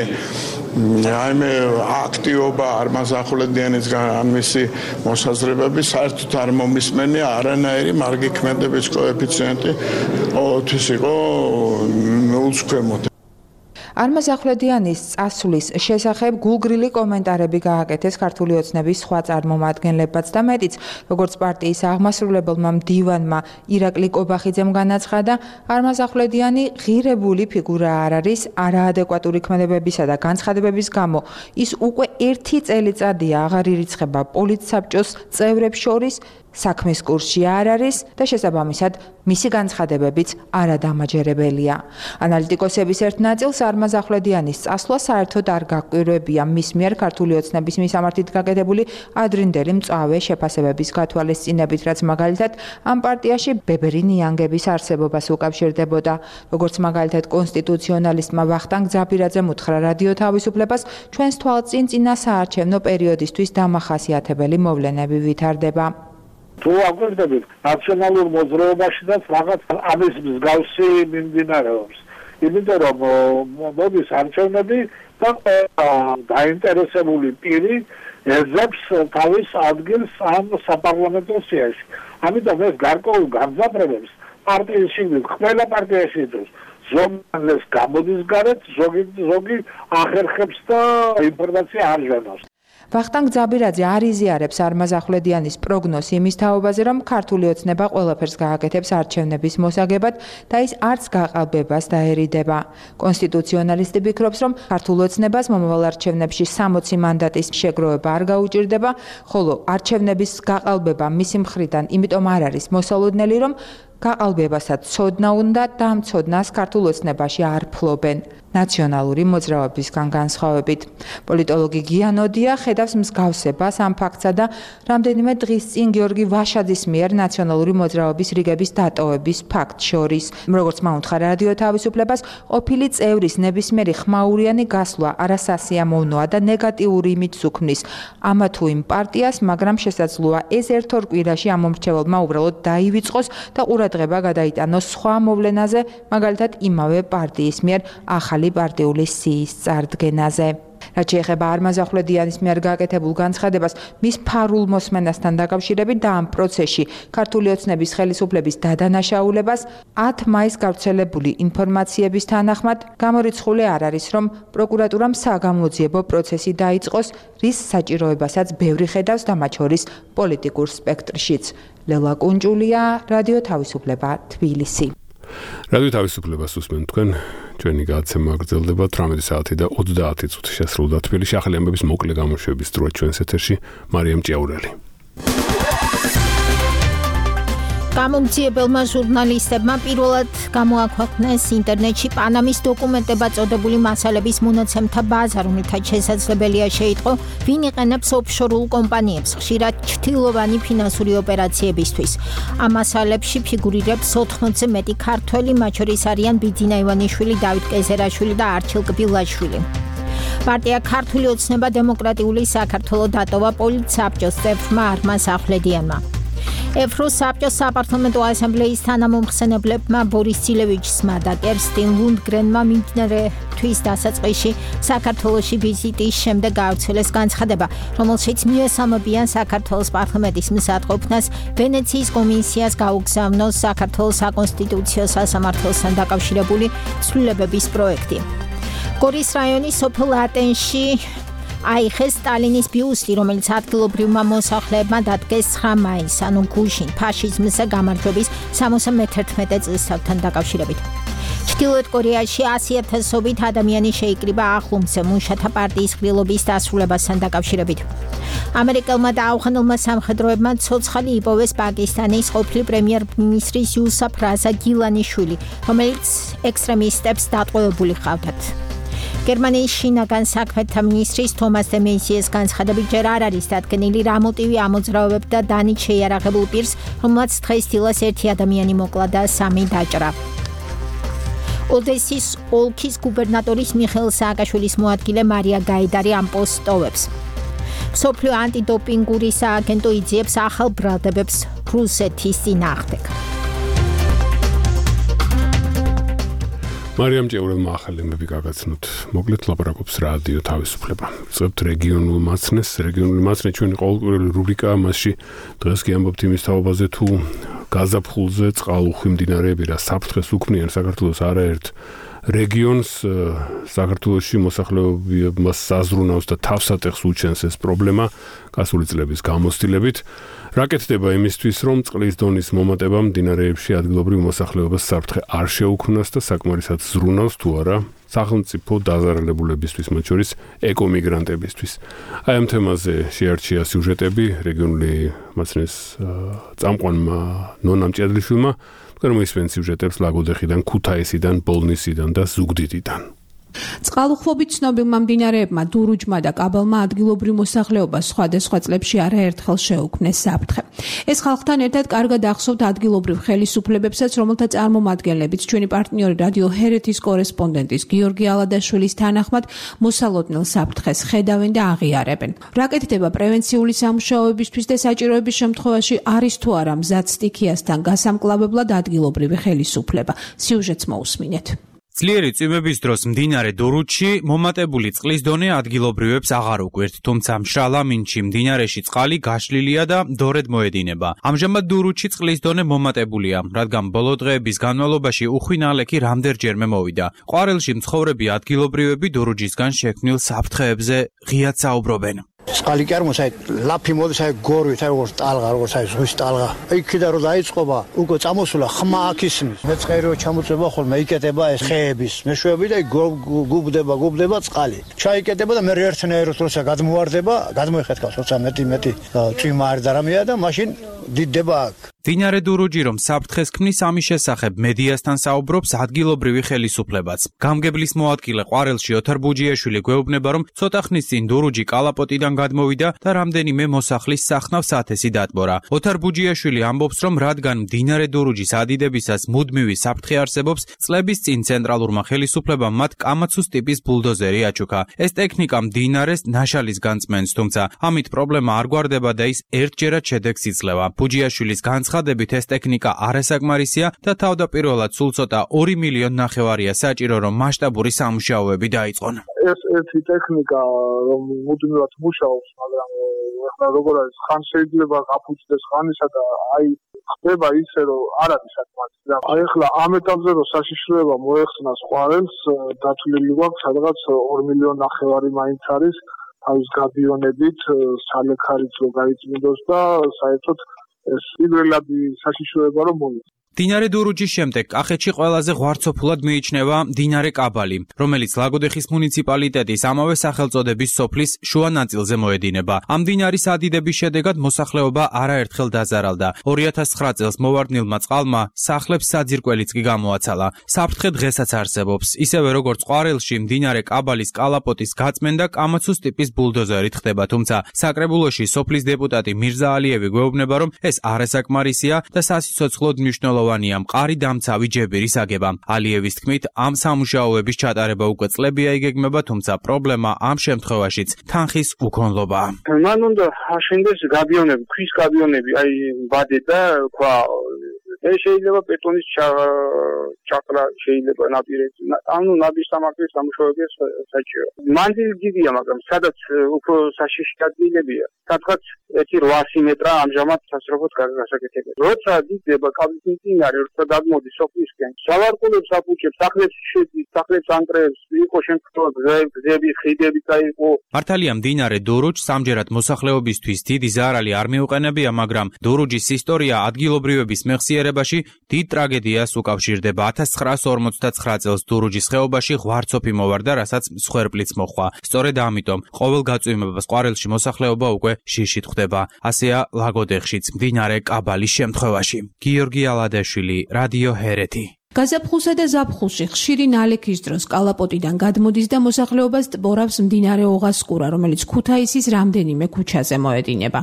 აი მე აქტივობა არმაზ ახვლედიანისგან ან მისი მოსაზრებები საერთოდ არ მომისმენია, არანაირი მარგი ქმედების კოეფიციენტი ყოველთვის იყო ნულს ქვემოთ. არმაზ ახვლედიანის წასვლის შესახებ გულგრილი კომენტარები გააკეთეს ქართული ოცნების სხვა წარმომადგენლებმაც და მეტიც, როგორც პარტიის აღმასრულებელმა მდივანმა ირაკლი კობახიძემ განაცხადა, არმაზ ახვლედიანი ღირებული ფიგურა არ არის, არაადეკვატური ქმედებებისა და განცხადებების გამო ის უკვე ერთი წელიწადია აღარ ირიცხება პოლიტსაბჭოს წევრებს შორის, საქმის კურსში არ არის და შესაბამისად მისი განცხადებებიც არადამაჯერებელია. ანალიტიკოსების ერთ ნაწილს არმაზ ახვლედიანის წასვლა საერთოდ არ გაკვირვებია მის მიერ ქართული ოცნების მისამართით გაკეთებული ადრინდელი მწვავე შეფასებების გათვალისწინებით, რაც მაგალითად ამ პარტიაში ბებერი ნიანგების არსებობას უკავშირდებოდა. როგორც მაგალითად კონსტიტუციონალისტმა ვახტანგ ძაბირაძემ უთხრა რადიო თავისუფლებას, ჩვენს თვალწინ წინა საარჩევნო პერიოდისთვის დამახასიათებელი მოვლენები ვითარდება. თუ აგვირდებით ნაციონალურ მოძრაობაშიც რაღაც ამის მსგავსი მიმდინარეობს. იმიტომ რომ მოდის არჩევნები და დაინტერესებული პირი ეძებს თავის ადგილს ამ საპარლამენტო სიაში. ამიტომ ეს გარკვეულ გამძაფრებებს პარტიის შიგნით ყველა პარტიაში იწვევს. ზოგადად გამოდის გარეთ, ზოგი ზოგი ახერხებს და ინფორმაცია არ ჟანავს. ვახტანგ ძაბირაძე არ იზიარებს არმაზ ახვლედიანის პროგნოზს იმის თაობაზე, რომ ქართული ოცნება ყველაფერს გააკეთებს არჩევნების მოსაგებად და ის არც გაყალბებას დაერიდება. კონსტიტუციონალისტი ფიქრობს, რომ ქართულ ოცნებას მომავალ არჩევნებში სამოცი მანდატის შეგროვება არ გაუჭირდება, ხოლო არჩევნების გაყალბება მისი მხრიდან იმიტომ არ არის მოსალოდნელი, რომ გაყალბებასაც ცოდნა უნდა და ამ ცოდნას ქართულ ოცნებაში არ ფლობენ. ნაციონალური მოძრაობისგან განსხვავებით. პოლიტოლოგი გიანოდია ხედავს მსგავსებას ამ ფაქტსა და რამდენიმე დღის წინ გიორგი ვაშაძის მიერ ნაციონალური მოძრაობის რიგების დატოვების ფაქტ შორის. როგორც მაუთხრა რადიო თავისუფლებას, ყოფილი წევრის ნებისმიერი ხმაურიანი გასვლა არასასიამოვნოა და ნეგატიური იმიჯს უქმნის ამა თუ იმ პარტიას, მაგრამ შესაძლოა ეს ერთ ორ კვირაში ამ მომრჩეველმა უბრალოდ დაივიწყოს და ყურადღება გადაიტანოს სხვა მოვლენაზე, მაგალითად იმავე პარტიის მიერ ახალი პარტიული სიის წარდგენაზე. რაც შეეხება არმაზახვლედიანის მიერ გაკეთებულ განცხადებას მის ფარულ მოსმენასთან დაკავშირებით და ამ პროცესში ქართული ოცნების ხელისუფლების დადანაშაულებას ათ მაისს გავრცელებული ინფორმაციების თანახმად გამორიცხული არ არის, რომ პროკურატურამ საგამოძიებო პროცესი დაიწყოს, რის საჭიროებასაც ბევრი ხედავს და მათ შორის პოლიტიკურ სპექტრშიც. ლელა კუნჭულია, რადიო თავისუფლება, თბილისი. რადიო თავისუფლებას უსმენთ თქვენ, ჩვენი გადაცემა გრძელდება თვრამეტი საათი და ოცდაათი წუთი შესრულდა თბილისში. ახალი ამბების მოკლე გამოშვების დროა ჩვენს ეთერში მარიამ ჭიაურელი. გამომძიებელმა ჟურნალისტებმა პირველად გამოაქვეყნეს ინტერნეტში პანამის დოკუმენტებად წოდებული მასალების მონაცემთა ბაზა, რომელთაც შესაძლებელია შეიტყო, ვინ იყენებს ოფშორულ კომპანიებს, ხშირად ჩრდილოვანი ფინანსური ოპერაციებისთვის. ამ მასალებში ფიგურირებს ოთხმოცზე მეტი ქართველი, მათ შორის არიან ბიძინა ივანიშვილი, დავით კეზერაშვილი და არჩილ კბილაშვილი. პარტია ქართული ოცნება დემოკრატიული საქართველო დატოვა პოლიტსაბჭოს წევრმა არმაზ ახვლედიანმა. ევროს საბჭოს საპარლამენტო ასამბლეის თანამომხსენებლებმა ბორის ცილევიჩსმა და კერსტინ ლუნდგრენმა მიმდინარე თვის დასაწყისში საქართველოში ვიზიტის შემდეგ გაავრცელეს განცხადება, რომელშიც მიესალმებიან საქართველოს პარლამენტის მსაჯყოფნას ვენეციის კომისიას გაუგზავნოს საქართველოს საკონსტიტუციო სასამართლოსთან დაკავშირებული ცვლილებების პროექტი. გორის რაიონის სოფელ ატენში აიხეს სტალინის ბიუსტი, რომელიც ადგილობრივმა მოსახლეებმა დადგეს ცხრა მაისს, ანუ გუშინ, ფაშიზმზე გამარჯვების სამოცდა მეთერთმეტე წლისთავთან დაკავშირებით. ჩრდილოეთ კორეაში ასი ათასობით ადამიანი შეიკრიბა ახლომზე მუშათა პარტიის ყრილობის დასრულებასთან დაკავშირებით. ამერიკელმა და ავღანელმა სამხედროებმა ცოცხალი იპოვეს პაკისტანის ყოფილი პრემიერ-მინისტრის იუსაფ რაზა გილანიშვილი, რომელიც ექსტრემისტებს დატყვევებული ჰყავდათ. გერმანიის შინაგან საქმეთა მინისტრის თომას დე მეიზიეს განცხადებით ჯერ არ არის დადგენილი რა მოტივი ამოძრავებდა დანით შეიარაღებულ პირს, რომელმაც დღესდილას ერთი ადამიანი მოკლა და სამი დაჭრა. ოდესის ოლქის გუბერნატორის მიხეილ სააკაშვილის მოადგილე მარია გაიდარი ამ პოსტს ტოვებს. მსოფლიო ანტიდოპინგური სააგენტო იძიებს ახალ ბრალდებებს რუსეთის წინააღმდეგ. მარიამ ჭიაურელმა ახალი ამბები გაგაცნოთ. მოკლედ ლაპარაკობს რადიო თავისუფლება. ვიწყებთ რეგიონულ მაცნეს, რეგიონული მაცნე ჩვენი ყოველკვირეული რუბრიკაა, მასში დღეს კი ამბობთ იმის თაობაზე, თუ გაზაფხულზე წყალუხვი მდინარეები რა საფრთხეს უქმნიან საქართველოს არაერთ რეგიონს, საქართველოში მოსახლეობამ საზრუნავს და თავსატეხს უჩენს ეს პრობლემა გასული წლების გამოცდილებით. რა კეთდება იმისთვის, რომ წყლის დონის მომატება მდინარეებში ადგილობრივ მოსახლეობას საფრთხე არ შეუქმნას და საკმარისად ზრუნავს თუ არა სახელმწიფო დაზარალებულებისთვის, მათ შორის ეკომიგრანტებისთვის. აი ამ თემაზე შეარჩია სიუჟეტები რეგიონული მაცნეს წამყვანმა ნონა მჭედლიშვილმა, გამოისმენთ სიუჟეტებს ლაგოდეხიდან, ქუთაისიდან, ბოლნისიდან და ზუგდიდიდან. წყალუხვობით ცნობილმა მდინარეებმა დურუჯმა და კაბელმა ადგილობრივ მოსახლეობას სხვადასხვა წლებში არაერთხელ შეუქმნეს საფრთხე. ეს ხალხთან ერთად კარგად ახსოვთ ადგილობრივ ხელისუფლებებსაც, რომელთა წარმომადგენლებიც ჩვენი პარტნიორი რადიო ჰერეთის კორესპონდენტის გიორგი ალადაშვილის თანახმად მოსალოდნელ საფრთხეს ხედავენ და აღიარებენ. რა კეთდება პრევენციული სამუშაოებისთვის და საჭიროების შემთხვევაში არის თუ არა მზად სტიქიასთან გასამკლავებლად ადგილობრივი ხელისუფლება. სიუჟეტს მოусმინეთ. ძლიერი წვიმების დროს მდინარე დურუჩში მომატებული წყლის დონე ადგილობრივებს აღარ უკვირთ, თუმცა მშრალ ამინდში მდინარეში წყალი გაშლილია და დორედ მოედინება. ამჟამად დურუჩში წყლის დონე მომატებულია, რადგან ბოლო დღეების განმავლობაში უხვი ნალექი რამდენჯერმე მოვიდა. ყვარელში მცხოვრები ადგილობრივები დურუჯისგან შექმნილ საფრთხეებზე ღიად საუბრობენ. წყალი კი არ მოსაი ლაფი მოდის აი გორვით აი როგორც ტალღა როგორც აი ზღვის ტალღა იქიდან რომ დაიწყობა უკვე წამოსულა ხმა აქ ისმის მეწყერიო ჩამოწება ხოლმე იკეტება ეს ხეების მეშვეები და გუბდება გუბდება წყალი ჩაიკეტება და მე ერთნაირად როცა გადმოვარდება გადმოიხეთქავს როცა მეტი მეტი წვიმა არ და რამეა და მაშინ დიდდება აქ. მდინარე დურუჯი რომ საფრთხეს ქმნის ამის შესახებ მედიასთან საუბრობს ადგილობრივი ხელისუფლებაც. გამგებლის მოადგილე ყვარელში ოთარ ბუჯიაშვილი გვეუბნება, რომ ცოტა ხნის წინ დურუჯი კალაპოტიდან გადმოვიდა და რამდენიმე მოსახლის სახნავს ათესი დატბორა. ოთარ ბუჯიაშვილი ამბობს, რომ რადგან მდინარე დურუჯის ადიდებისას მუდმივი საფრთხე არსებობს, წლების წინ ცენტრალურმა ხელისუფლებამ მათ კამაცუს ტიპის ბულდოზერი აჩუქა. ეს ტექნიკა მდინარეს ნაშალის განწმენს, თუმცა ამით პრობლემა არ გვარდება და ის ერთჯერად შედეგს იძლევა. ბუჯიაშვილის განცხადებით განცხადებით ეს ტექნიკა არასაკმარისია და თავდაპირველად სულ ცოტა ორი მილიონი ნახევარია საჭირო, რომ მასშტაბური სამუშაოები დაიწყონ. ეს ერთი ტექნიკა რომ მუდმივად მუშაობს, მაგრამ ახლა როგორ არის, ხან შეიძლება გაფუძდეს ხანისა და აი ხდება ისე, რომ არ არის საკმარისი. აი ახლა ამ ეტაპზე რომ საშიშროება მოეხსნას ყვარელს, დათვლილი გვაქვს სადღაც ორი მილიონი ნახევარი მაინც არის თავის გადიონებით, სალექარიც რო გაიწმინდოს და საერთოდ ეს პირველადი საშიშროება რომ მოიწ მდინარე დურუჯის შემდეგ კახეთში ყველაზე ღვარცოფულად მიიჩნევა მდინარე კაბალი, რომელიც ლაგოდეხის მუნიციპალიტეტის ამავე სახელწოდების სოფლის შუა ნაწილზე მოედინება. ამ მდინარის ადიდების შედეგად მოსახლეობა არაერთხელ დაზარალდა. ორი ათას ცხრა წელს მოვარდნილმა წყალმა სახლებს საძირკველიც კი გამოაცალა. საფრთხე დღესაც არსებობს. ისევე როგორც ყვარელში მდინარე კაბალის კალაპოტის გაწმენდა კამაცუს ტიპის ბულდოზერით ხდება, თუმცა საკრებულოში სოფლის დეპუტატი მირზა ალიევი გვეუბნება, რომ ეს არასაკმარისია და სასიცოცხლოდ მნიშვნელოვანია მყარი დამცავი ჯებირის აგება. ალიევის თქმით, ამ სამუშაოების ჩატარება უკვე წლებია იგეგმება, თუმცა პრობლემა ამ შემთხვევაშიც თანხის უქონლობაა. მან უნდა აშენდეს გაბიონები, ქვის გაბიონები, აი ვადე და ქვა ეს შეიძლება ბეტონის ჩაყრა შეიძლება ნაპირებზე. ანუ ნადის სამართლის სამუშაოების საჭირო. მანძილი დიდია, მაგრამ სადაც უფრო საშიში ადგილებია, სადღაც ერთი რვასი მეტრა ამჟამად სასწრაფოდ გასაკეთებია. როცა დიდება კაბლის მდინარე, როცა დაგმოდის სოფლისკენ, სავარყულებს აფუჭებს, სახლებში შედის, სახლებს ანტრებს, იყო შემთხვევა გზები, ხიდები წაიყო. მართალია მდინარე დურუჯს სამჯერად მოსახლეობისთვის დიდი ზარალი არ მიუყენებია, მაგრამ დურუჯის ისტორია ადგილობრივების მეხსიერებაში დიდ ტრაგედიას უკავშირდება. ათას ცხრაასი ორმოცდაცხრა წელს დურუჯის ხეობაში ღვარცოფი მოვარდა, რასაც მსხვერპლიც მოჰყვა. სწორედ ამიტომ ყოველ გაწვიმებას ყვარელში მოსახლეობა უკვე შიშით ხვდება. ასეა ლაგოდეხშიც მდინარე კაბალის შემთხვევაში. გიორგი ალადაშვილი, რადიო ჰერეთი. გაზაფხულსა და ზაფხულში ხშირი ნალექის დროს კალაპოტიდან გადმოდის და მოსახლეობას ტბორავს მდინარე ოღასკურა, რომელიც ქუთაისის რამდენიმე ქუჩაზე მოედინება.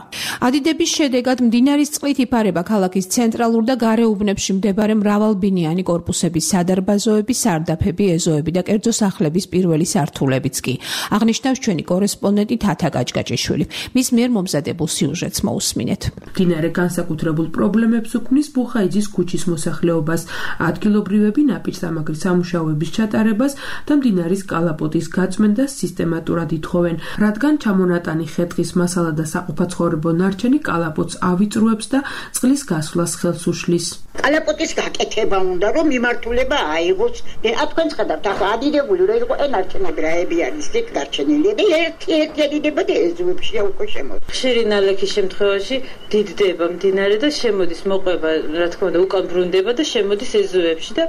ადიდების შედეგად მდინარის წყლით იფარება ქალაქის ცენტრალურ და გარეუბნებში მდებარე მრავალბინიანი კორპუსების სადარბაზოები, სარდაფები, ეზოები და კერძო სახლების პირველი სართულებიც კი. აღნიშნავს ჩვენი კორესპონდენტი თათა გაჭგაჭიშვილი. მის მიერ მომზადებულ სიუჟეტს მოусმინეთ. მდინარე განსაკუთრებულ პრობლემებს უქმნის ბუხაიძის ქუჩის მოსახლეობას. ადგილობრივები ნაპირსამაგრის სამუშაოების ჩატარებას და მდინარის კალაპოტის გაწმენდას სისტემატურად ითხოვენ, რადგან ჩამონატანი ხე-ტყის მასალა და საყოფაცხოვრებო ნარჩენი კალაპოტს ავიწრუებს და წყლის გასვლას ხელს უშლის. კალაპოტის გაკეთება უნდა, რომ მიმართულება აიღოს. და თქვენ ხედავთ, ახლა ადიდებული რა იყო ენარჩენები რაები არის იქ გარჩენილი და ერთი-ერთი ადიდება და ეზოებში უკვე შემოდის. ხშირი ნალექის შემთხვევაში დიდდება მდინარე და შემოდის მოყვება, რა თქმა უნდა, უკან ბრუნდება და შემოდის ეზოებში და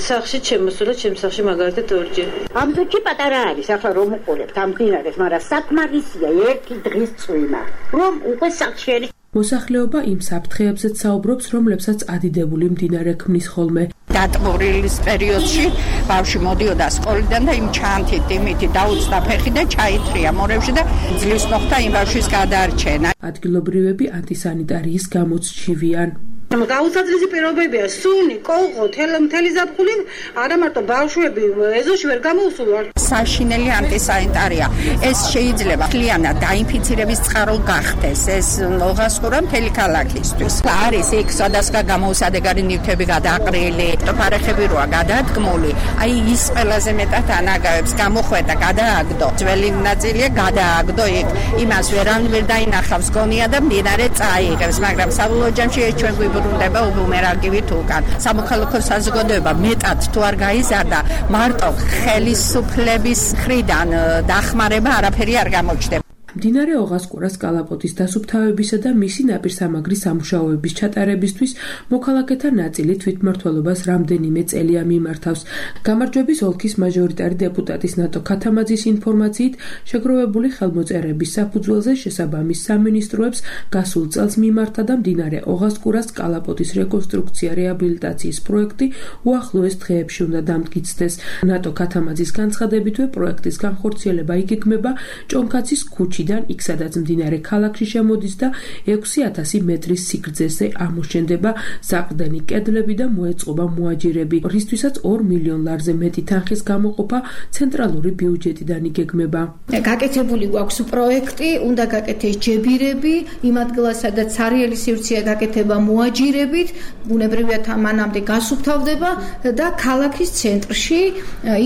სახში შემოსულა, ჩემს სახში მაგალითად ორჯერ. ამ დროში პატარა არის, ახლა რომ უყურებთ ამ მდინარეს, მაგრამ საკმარისია ერთი დღის წვიმა, რომ უკვე სახში არის. მოსახლეობა იმ საფრთხეებზეც საუბრობს, რომლებსაც ადიდებული მდინარე ქმნის ხოლმე. დატბორილის პერიოდში ბავშვი მოდიოდა სკოლიდან და იმ ჩანთით, იმითი დაუწდა ფეხი და ჩაითრია მორევში და ძლივს მოხდა იმ ბავშვის გადარჩენა. ადგილობრივები ანტისანიტარიის გამოც ჩივიან. გაუცადლესი პირობებია, სუნი, კოლღო, მთელი ზაფხული, არა მარტო ბავშვები ეზოში ვერ გამოუსულვარ. საშინელი ანტისანიტარია. ეს შეიძლება მთლიანად დაინფიცირების წყარო გახდეს. ეს ოღასკურა მთელი ქალაქისთვის. არის იქ სხვადასხვა გამოუსადეგარი ნივთები გადაყრილი, ფარეხები როა გადადგმული. აი ის ყველაზე მეტად ანაგავებს, გამოხვედა, გადააგდო. ძველი ნაწილია გადააგდო იქ. იმას ვერავინ ვერ დაინახავს გონია და მდინარე წაიღებს, მაგრამ საბოლოო ჯამში ეს ჩვენ ბრუნდება უბუმერანგივით უკან. სამოქალაქო საზოგადოება მეტად თუ არ გაიზარდა, მარტო ხელისუფლების მხრიდან დახმარება არაფერი არ გამოჩნდება. მდინარე ოღასკურას კალაპოტის დასუფთავებისა და მისი ნაპირსამაგრის სამუშაოების ჩატარებისთვის მოქალაქეთა ნაწილი თვითმმართველობას რამდენიმე წელია მიმართავს. გამარჯვების ოლქის მაჟორიტარი დეპუტატის ნატო ქათამაძის ინფორმაციით, შეგროვებული ხელმოწერების საფუძველზე შესაბამის სამინისტროებს გასულ წელს მიმართა და მდინარე ოღასკურას კალაპოტის რეკონსტრუქცია რეაბილიტაციის პროექტი უახლოეს დღეებში უნდა დამტკიცდეს. ნატო ქათამაძის განცხადებითვე პროექტის განხორციელება იგეგმება ჭონქაცის ქუჩიდან თვითმფრინავიდან იქ სადაც მდინარე ქალაქში შემოდის და ექვსი ათასი მეტრის სიგრძეზე ამოშენდება საყრდენი კედლები და მოეწყობა მოაჯირები, რისთვისაც ორ მილიონ ლარზე მეტი თანხის გამოყოფა ცენტრალური ბიუჯეტიდან იგეგმება. გაკეთებული გვაქვს პროექტი, უნდა გაკეთდეს ჯებირები, იმ ადგილას სადაც სარიელი სივრცეა გაკეთება მოაჯირებით, ბუნებრივია მანამდე გასუფთავდება და ქალაქის ცენტრში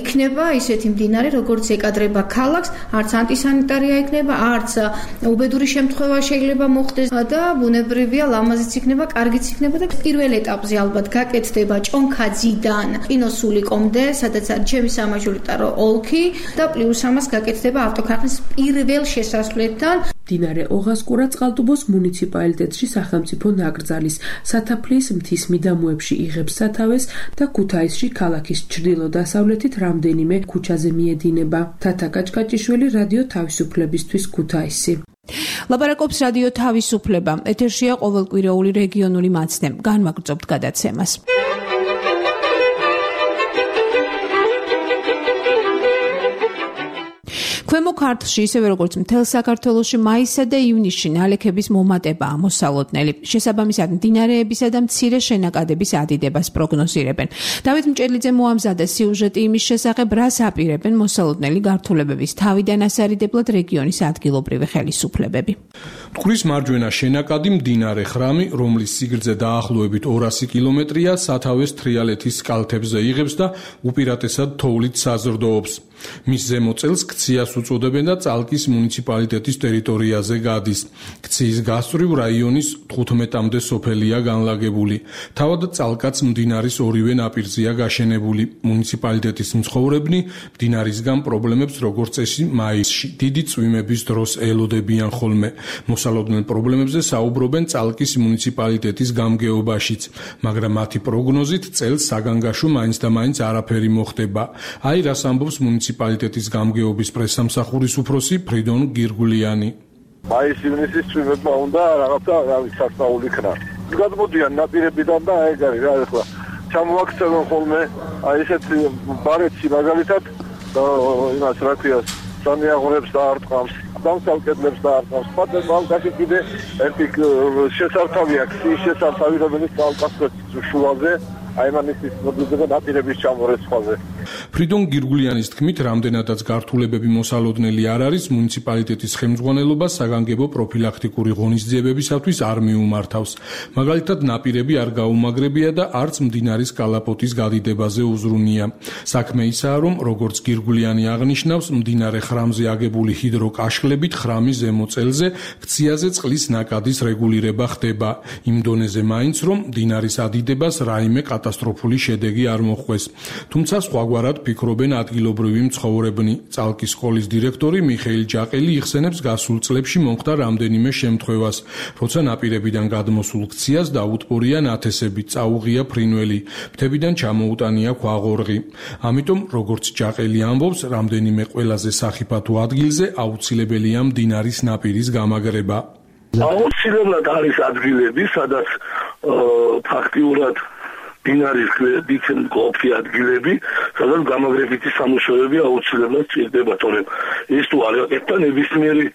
იქნება ისეთი მდინარე, როგორც ეკადრება ქალაქს, არც ანტისანიტარია იქნება, არც უბედური შემთხვევა შეიძლება მოხდეს და ბუნებრივია ლამაზიც იქნება, კარგიც იქნება და პირველ ეტაპზე ალბათ გაკეთდება ჭონქაძიდან ყინოსულიკომდე, სადაც არის ჩემი სამაჟორიტარო ოლქი და პლუს ამას გაკეთდება ავტოქარხნის პირველ შესასვლელთან. მდინარე ოღასკურა წყალტუბოს მუნიციპალიტეტში სახელმწიფო ნაკრძალის სათაფლიის მთის მიდამოებში იღებს სათავეს და ქუთაისში ქალაქის ჩრდილო-დასავლეთით რამდენიმე ქუჩაზე მიედინება. თათა კაჭკაჭიშვილი, რადიო თავისუფლებისთვის, ქუთაისი. ლაპარაკობს რადიო თავისუფლება. ეთერშია ყოველკვირეული რეგიონული მაცდე. განვაგრძობთ გადაცემას. ქვემო ქართლში, ისევე როგორც მთელ საქართველოში, მაისსა და ივნისში ნალექების მომატებაა მოსალოდნელი. შესაბამისად, მდინარეებისა და მცირე შენაკადების ადიდებას პროგნოზირებენ. დავით მჭედლიძე მოამზადა სიუჟეტი იმის შესახებ, რას აპირებენ მოსალოდნელი გართულებების თავიდან ასარიდებლად რეგიონის ადგილობრივი ხელისუფლებები. მტკვრის მარჯვენა შენაკადი მდინარე ხრამი, რომლის სიგრძე დაახლოებით ორასი კილომეტრია, სათავეს თრიალეთის კალთებზე იღებს და უპირატესად თოვლით საზრდოობს. მის ზემო წელს ქციას უწოდებენ და წალკის მუნიციპალიტეტის ტერიტორიაზე გადის. ქციის გასწვრივ რაიონის თხუთმეტამდე სოფელია განლაგებული. თავად წალკაც მდინარის ორივე ნაპირზეა გაშენებული. მუნიციპალიტეტის მცხოვრებნი მდინარისგან პრობლემებს როგორც წესი მაისში, დიდი წვიმების დროს ელოდებიან ხოლმე. მოსალოდნელ პრობლემებზე საუბრობენ წალკის მუნიციპალიტეტის გამგეობაშიც, მაგრამ მათი პროგნოზით წელს საგანგაშო მაინც და მაინც არაფერი მოხდება. აი რას ამბობს მუნიციპალიტეტის გამგეობის პრესამსახურის უფროსი ფრიდონ გირგულიანი. მაის-ივნისის წვიმებმა უნდა რაღაცა რავი სასწაული იქნა. გადმოდიან ნაპირებიდან და ეგ არის რა ახლა ჩამოაქცევენ ხოლმე აი ესეთი ბარეთში მაგალითად და იმას რა ქვია სამიაღურებს და არტყამს, დამსალკედლებს და არტყამს. პატენ ბალკაში კიდე ერთი შესართავი აქვს, ის შესართავი რომელიც ალკასტოს შუაზე აი მანისის მოდიდება ნაპირების ჩამორეცხვაზე. ფრიდონ გირგულიანის თქმით, რამდენადაც გართულებები მოსალოდნელი არ არის, მუნიციპალიტეტის ხელმძღვანელობა საგანგებო პროფილაქტიკური ღონისძიებებისათვის არ მიუმართავს. მაგალითად, ნაპირები არ გაუმაგრებია და არც მდინარის კალაპოტის გადიდებაზე უზრუნია. საქმე ისაა, რომ როგორც გირგულიანი აღნიშნავს, მდინარე ხრამზე აგებული ჰიდროკაშხლებით ხრამის ზემო წელზე ქციაზე წყლის ნაკადის რეგულირება ხდება. იმ დონეზე მაინც, რომ მდინარის ადიდებას რაიმე კატასტროფული შედეგი არ მოხვეს. თუმცა სხვაგვარად ფიქრობენ ადგილობრივი მცხოვრებნი. წალკის სკოლის დირექტორი მიხეილ ჯაყელი იხსენებს გასულ წლებში მომხდა რამდენიმე შემთხვევას, როცა ნაპირებიდან გადმოსულ ქციას დაუტბორია ნათესები, წაუღია ფრინველი, მთებიდან ჩამოუტანია ქვაღორღი. ამიტომ, როგორც ჯაყელი ამბობს, რამდენიმე ყველაზე სახიფათო ადგილზე აუცილებელია მდინარის ნაპირის გამაგრება. აუცილებლად არის ადგილები, სადაც ფაქტიურად მდინარის გვერდით მყოფი ადგილები, სადაც გამაგრებითი სამუშაოები აუცილებლად სჭირდება, თორემ ეს თუ არ აკეთდა ნებისმიერი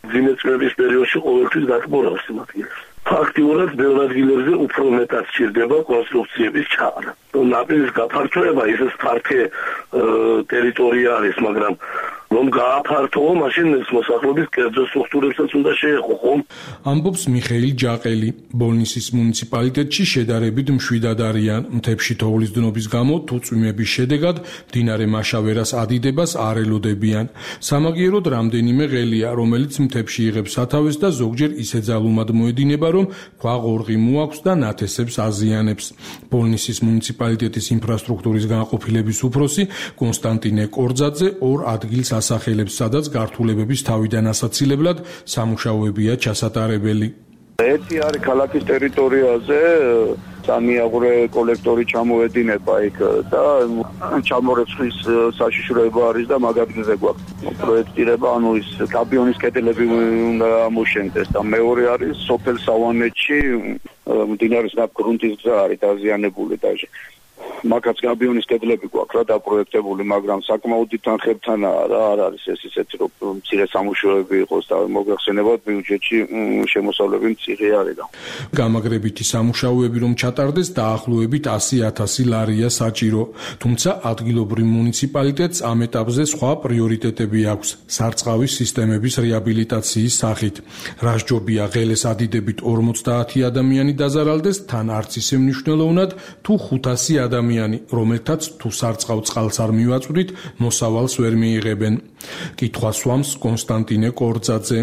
მძიმე წვიმების პერიოდში ყოველთვის გატბორავს იმ ადგილებს. ფაქტიურად ბევრ ადგილებზე უფრო მეტად სჭირდება კონსტრუქციების ჩაყრა. ნაპირის გაფართოება ისეს ფართე ტერიტორია არის, მაგრამ რომ გააფართოო, მაშინ ეს მოსახლეობის კერძო სტრუქტურებსაც უნდა შეეხო, ხომ? ამბობს მიხეილ ჯაყელი. ბოლნისის მუნიციპალიტეტში შედარებით მშვიდად არიან. მთებში თოვლის დნობის გამო თუ წვიმების შედეგად მდინარე მაშავერას ადიდებას არ ელოდებიან. სამაგიეროდ რამდენიმე ღელია, რომელიც მთებში იღებს სათავეს და ზოგჯერ ისე ძალუმად მოედინება, რომ ქვაღორღი მოაქვს და ნათესებს აზიანებს. ბოლნისის მუნიციპალიტეტის ინფრასტრუქტურის განყოფილების უფროსი კონსტანტინე კორძაძე ორ ადგილს ასახელებს, სადაც გართულებების თავიდან ასაცილებლად სამუშაოებია ჩასატარებელი. ერთი არის ქალაქის ტერიტორიაზე, სამიაღურე კოლექტორი ჩამოედინება იქ და ჩამორეცხვის საშიშროება არის და მაგ ადგილზე გვაქვს პროექტირება, ანუ ის კაბიონის კედლები უნდა ამოშენდეს და მეორე არის სოფელ სავანეთში მდინარის ნაპირ გრუნტის გზა არის დაზიანებული და მაგაც გაბიონის კედლები გვაქვს რა დაპროექტებული, მაგრამ საკმაოდ თანხებთანაა რა, არ არის ეს ისეთი რომ მცირე სამუშაოები იყოს და მოგეხსენებათ ბიუჯეტში შემოსავლები მცირე არის და გამაგრებითი სამუშაოები რომ ჩატარდეს დაახლოებით ასი ათასი ლარია საჭირო, თუმცა ადგილობრივ მუნიციპალიტეტს ამ ეტაპზე სხვა პრიორიტეტები აქვს სარწყავის სისტემების რეაბილიტაციის სახით. რასჯობია ღელეს ადიდებით ორმოცდაათი ადამიანი დაზარალდეს, თან არც ისე მნიშვნელოვნად თუ ხუთასი ადამიანი, რომელთაც თუ სარწყავ წყალს არ მივაწვდით, მოსავალს ვერ მიიღებენ. კითხვას სვამს კონსტანტინე კორძაძე.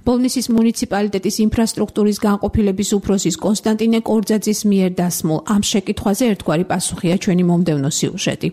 ბოლნისის მუნიციპალიტეტის ინფრასტრუქტურის განყოფილების უფროსის კონსტანტინე კორძაძის მიერ დასმულ ამ შეკითხვაზე ერთგვარი პასუხია ჩვენი მომდევნო სიუჟეტი.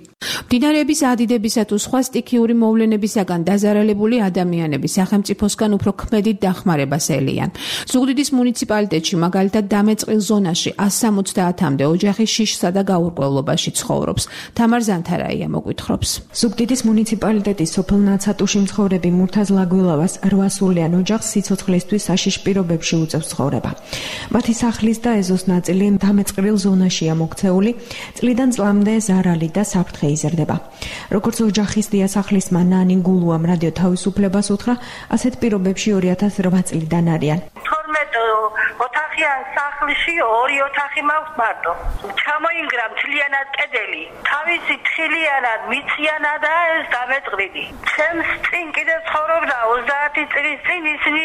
მდინარეების ადიდებისა თუ სხვა სტიქიური მოვლენებისაგან დაზარალებული ადამიანები სახელმწიფოსგან უფრო ქმედით დახმარებას ელიან. ზუგდიდის მუნიციპალიტეტში მაგალითად დამეწყილ ზონაში ას სამოცდაათამდე ოჯახი შიშსა და გაურკვევლობაში ცხოვრობს. თამარ ზანთარაია მოგვითხრობს. ზუგდიდის მუნიციპალიტეტის სოფელ ნაცატუში მცხოვრები მურთაზ ლაგვილავას რვა სულიან ოჯახს სიცოცხლისთვის საშიშ პირობებში უწევს ცხოვრება. მათი სახლის და ეზოს ნაწილი დამეწყრილ ზონაშია მოქცეული, წლიდან წლამდე ზარალი და საფრთხე იზრდება. როგორც ოჯახის დიასახლისმა ნანი გულუამ რადიო თავისუფლებას უთხრა, ასეთ პირობებში ორი ათას რვა წლიდან არიან. თორმეტ ოთახიან სახლში ორი ოთახი მაქვს მარტო. ჩამოინგრა მთლიანად კედელი, თავისი თხილიანად მიციანა და ეს დამეწყრილი. ჩემს წინ კიდე ცხოვრობდა ოცდაათი წლის წინ ისინი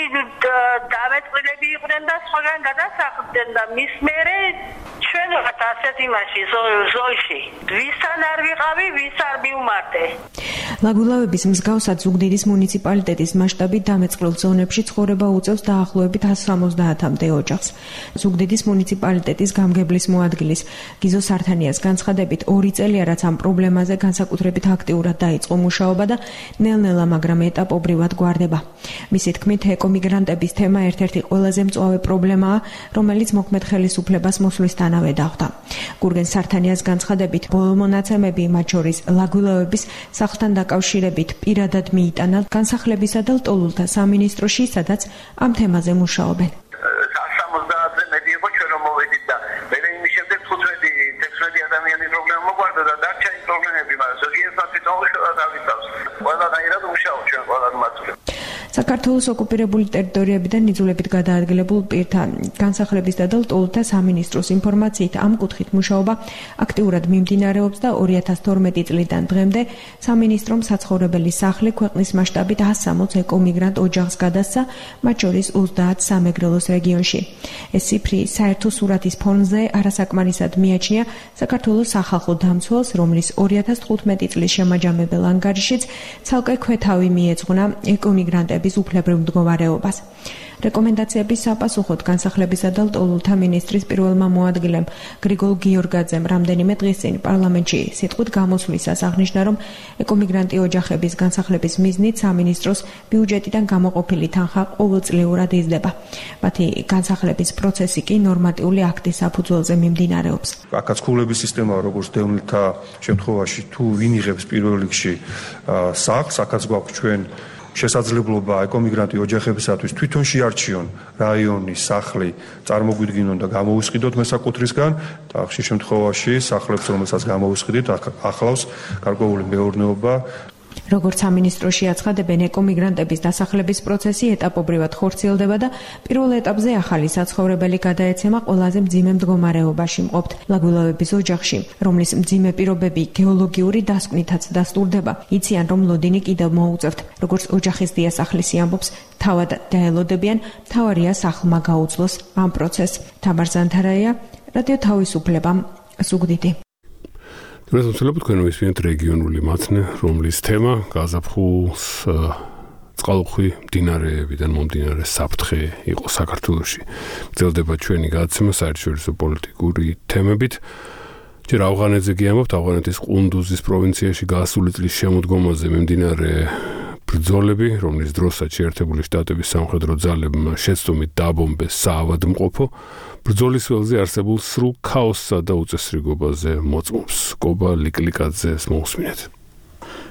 დამეწყრილები იყვნენ და სხვაგან გადასახლდნენ და მის მერე ჩვენ ვართ ასეთ იმაში ზოლში. ვისთან არ ვიყავი, ვის არ მივმართე. ლაგვილავების მსგავსად ზუგდიდის მუნიციპალიტეტის მასშტაბით დამეწყრილ ზონებში ცხოვრება უწევს დაახლოებით ას სამოცდაათამდე ოჯახს. ზუგდიდის მუნიციპალიტეტის გამგებლის მოადგილის გიზო სართანიას განცხადებით, ორი წელია რაც ამ პრობლემაზე განსაკუთრებით აქტიურად დაიწყო მუშაობა და ნელ-ნელა, მაგრამ ეტაპობრივად გვარდება. მისი თქმით, ეკომიგრანტების თემა ერთ-ერთი ყველაზე მწვავე პრობლემაა, რომელიც მოქმედ ხელისუფლებას მოსვლისთანავე დახვდა. გურგენ სართანიას განცხადებით, ბოლო მონაცემები, მათ შორის ლაგვილავების სახლთან დაკავშირებით პირადად მიიტანა განსახლებისა და ლტოლულთა სამინისტროში, სადაც ამ თემაზე მუშაობენ. სამოცდაათზე მეტი იყო ჩვენ რომ მოვედით და მე იმის შემდეგ თხუთმეტი თექვსმეტი ადამიანის პრობლემა მოგვარდა და დარჩა ის პრობლემები, მაგრამ ზოგიერთად თვითონ დავიცავს. ყველანაირად მუშაობ ჩვენ ყველა მასწავლებლად. საქართველოს ოკუპირებული ტერიტორიებიდან ნიძულებით გადაადგილებულ პირთა განსახლების და ლტოლულთა სამინისტროს ინფორმაციით ამ კუთხით მუშაობა აქტიურად მიმდინარეობს და ორი ათას თორმეტი წლიდან დღემდე სამინისტრომ საცხოვრებელი სახლი ქვეყნის მასშტაბით ას სამოც ეკომიგრანტ ოჯახს გადასცა, მათ შორის ოცდაათ სამეგრელოს რეგიონში. ეს ციფრი საერთო სურათის ფონზე არასაკმარისად მიაჩნია საქართველოს სახალხო დამცველს, რომლის ორი ათას თხუთმეტი წლის შემაჯამებელ ანგარიშიც ცალკე ქვეთავი მიეძღვნა ეკომიგრანტების უფლებრივ მდგომარეობას. რეკომენდაციების საპასუხოდ განსახლებისა და ლტოლულთა მინისტრის პირველმა მოადგილემ გრიგოლ გიორგაძემ რამდენიმე დღის წინ პარლამენტში სიტყვით გამოსვლისას აღნიშნა, რომ ეკომიგრანტი ოჯახების განსახლების მიზნით სამინისტროს ბიუჯეტიდან გამოყოფილი თანხა ყოველწლიურად იზრდება. მათი განსახლების პროცესი კი ნორმატიული აქტის საფუძველზე მიმდინარეობს. აქაც ქულების სისტემა, როგორც დევნილთა შემთხვევაში, თუ ვინ იღებს პირველ რიგში სახლს, აქაც გვაქვს ჩვენ შესაძლებლობა ეკომიგრანტი ოჯახებისათვის თვითონ შეარჩიონ რაიონი, სახლი, წარმოგვიდგინონ და გამოვისყიდოთ მესაკუთრისგან და ხშირ შემთხვევაში სახლებს, რომელსაც გამოვისყიდით, ახლავს გარკვეული მეურნეობა. როგორც სამინისტროში აცხადებენ, ეკომიგრანტების დასახლების პროცესი ეტაპობრივად ხორციელდება და პირველ ეტაპზე ახალი საცხოვრებელი გადაეცემა ყველაზე მძიმე მდგომარეობაში მყოფთ ლაგვილავების ოჯახში, რომლის მძიმე პირობები გეოლოგიური დასკვნითაც დასტურდება. იციან, რომ ლოდინი კიდევ მოუწევთ. როგორც ოჯახის დიასახლისი ამბობს, თავად დაელოდებიან, მთავარია სახლმა გაუძლოს ამ პროცესს. თამარ ზანთარაია, რადიო თავისუფლება, ზუგდიდი. დღესდღეობით თქვენ მისმენთ რეგიონული მაცნე, რომლის თემა გაზაფხულს წყალუხვი მდინარეებიდან მომდინარე საფრთხე იყო საქართველოში. გრძელდება ჩვენი გადაცემა საერთაშორისო პოლიტიკური თემებით. ჯერ ავღანეთზე გიამბობთ, ავღანეთის ყუნდუზის პროვინციაში გასული წლის შემოდგომაზე მიმდინარე ბრძოლები, რომლის დროსაც შეერთებული შტატების სამხედრო ძალებმა შეცდომით დააბომბეს საავადმყოფო, ბრძოლის ველზე არსებულ სრულ ქაოსსა და უწესრიგობაზე მოწმობს. კობა ლიკლიკაძეს მოусმინეთ.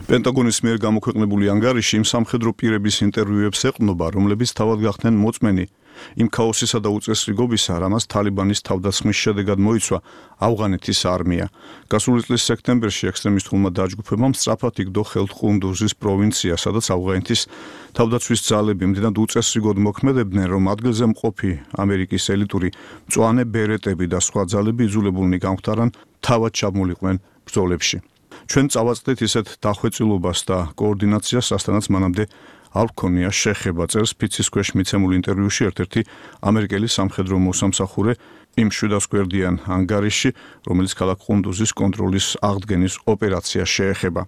პენტაგონის მიერ გამოქვეყნებული ანგარიში იმ სამხედრო პირების ინტერვიუებს ეყრდნობა, რომლებიც თავად გახდნენ მოწმენი იმ ქაოსისა და უწესრიგობისა, რამაც თალიბანის თავდასხმის შედეგად მოიცვა ავღანეთის არმია. გასული წლის სექტემბერში ექსტრემისტულმა დაჯგუფებამ სწრაფად იგდო ხელთ ყუნდუზის პროვინცია, სადაც ავღანეთის თავდაცვის ძალები მდიდრად უწესრიგოდ მოქმედებდნენ, რომ ადგილზე მყოფი ამერიკის ელიტური მწვანე ბერეტები და სხვა ძალები იძულებულნი გამხდარან თავად ჩამოლიყვნენ ბრძოლებში. ჩვენ წავაწყდით ისეთ დახვეწილობას და კოორდინაციას, რასთანაც მანამდე არ ჰქონია შეხება, წერს ფიცის ქვეშ მიცემულ ინტერვიუში ერთ-ერთი ამერიკელი სამხედრო მოსამსახურე იმ შვიდას გვერდიან ანგარიში, რომელიც ქალაქ ყუნდუზის კონტროლის აღდგენის ოპერაციას შეეხება.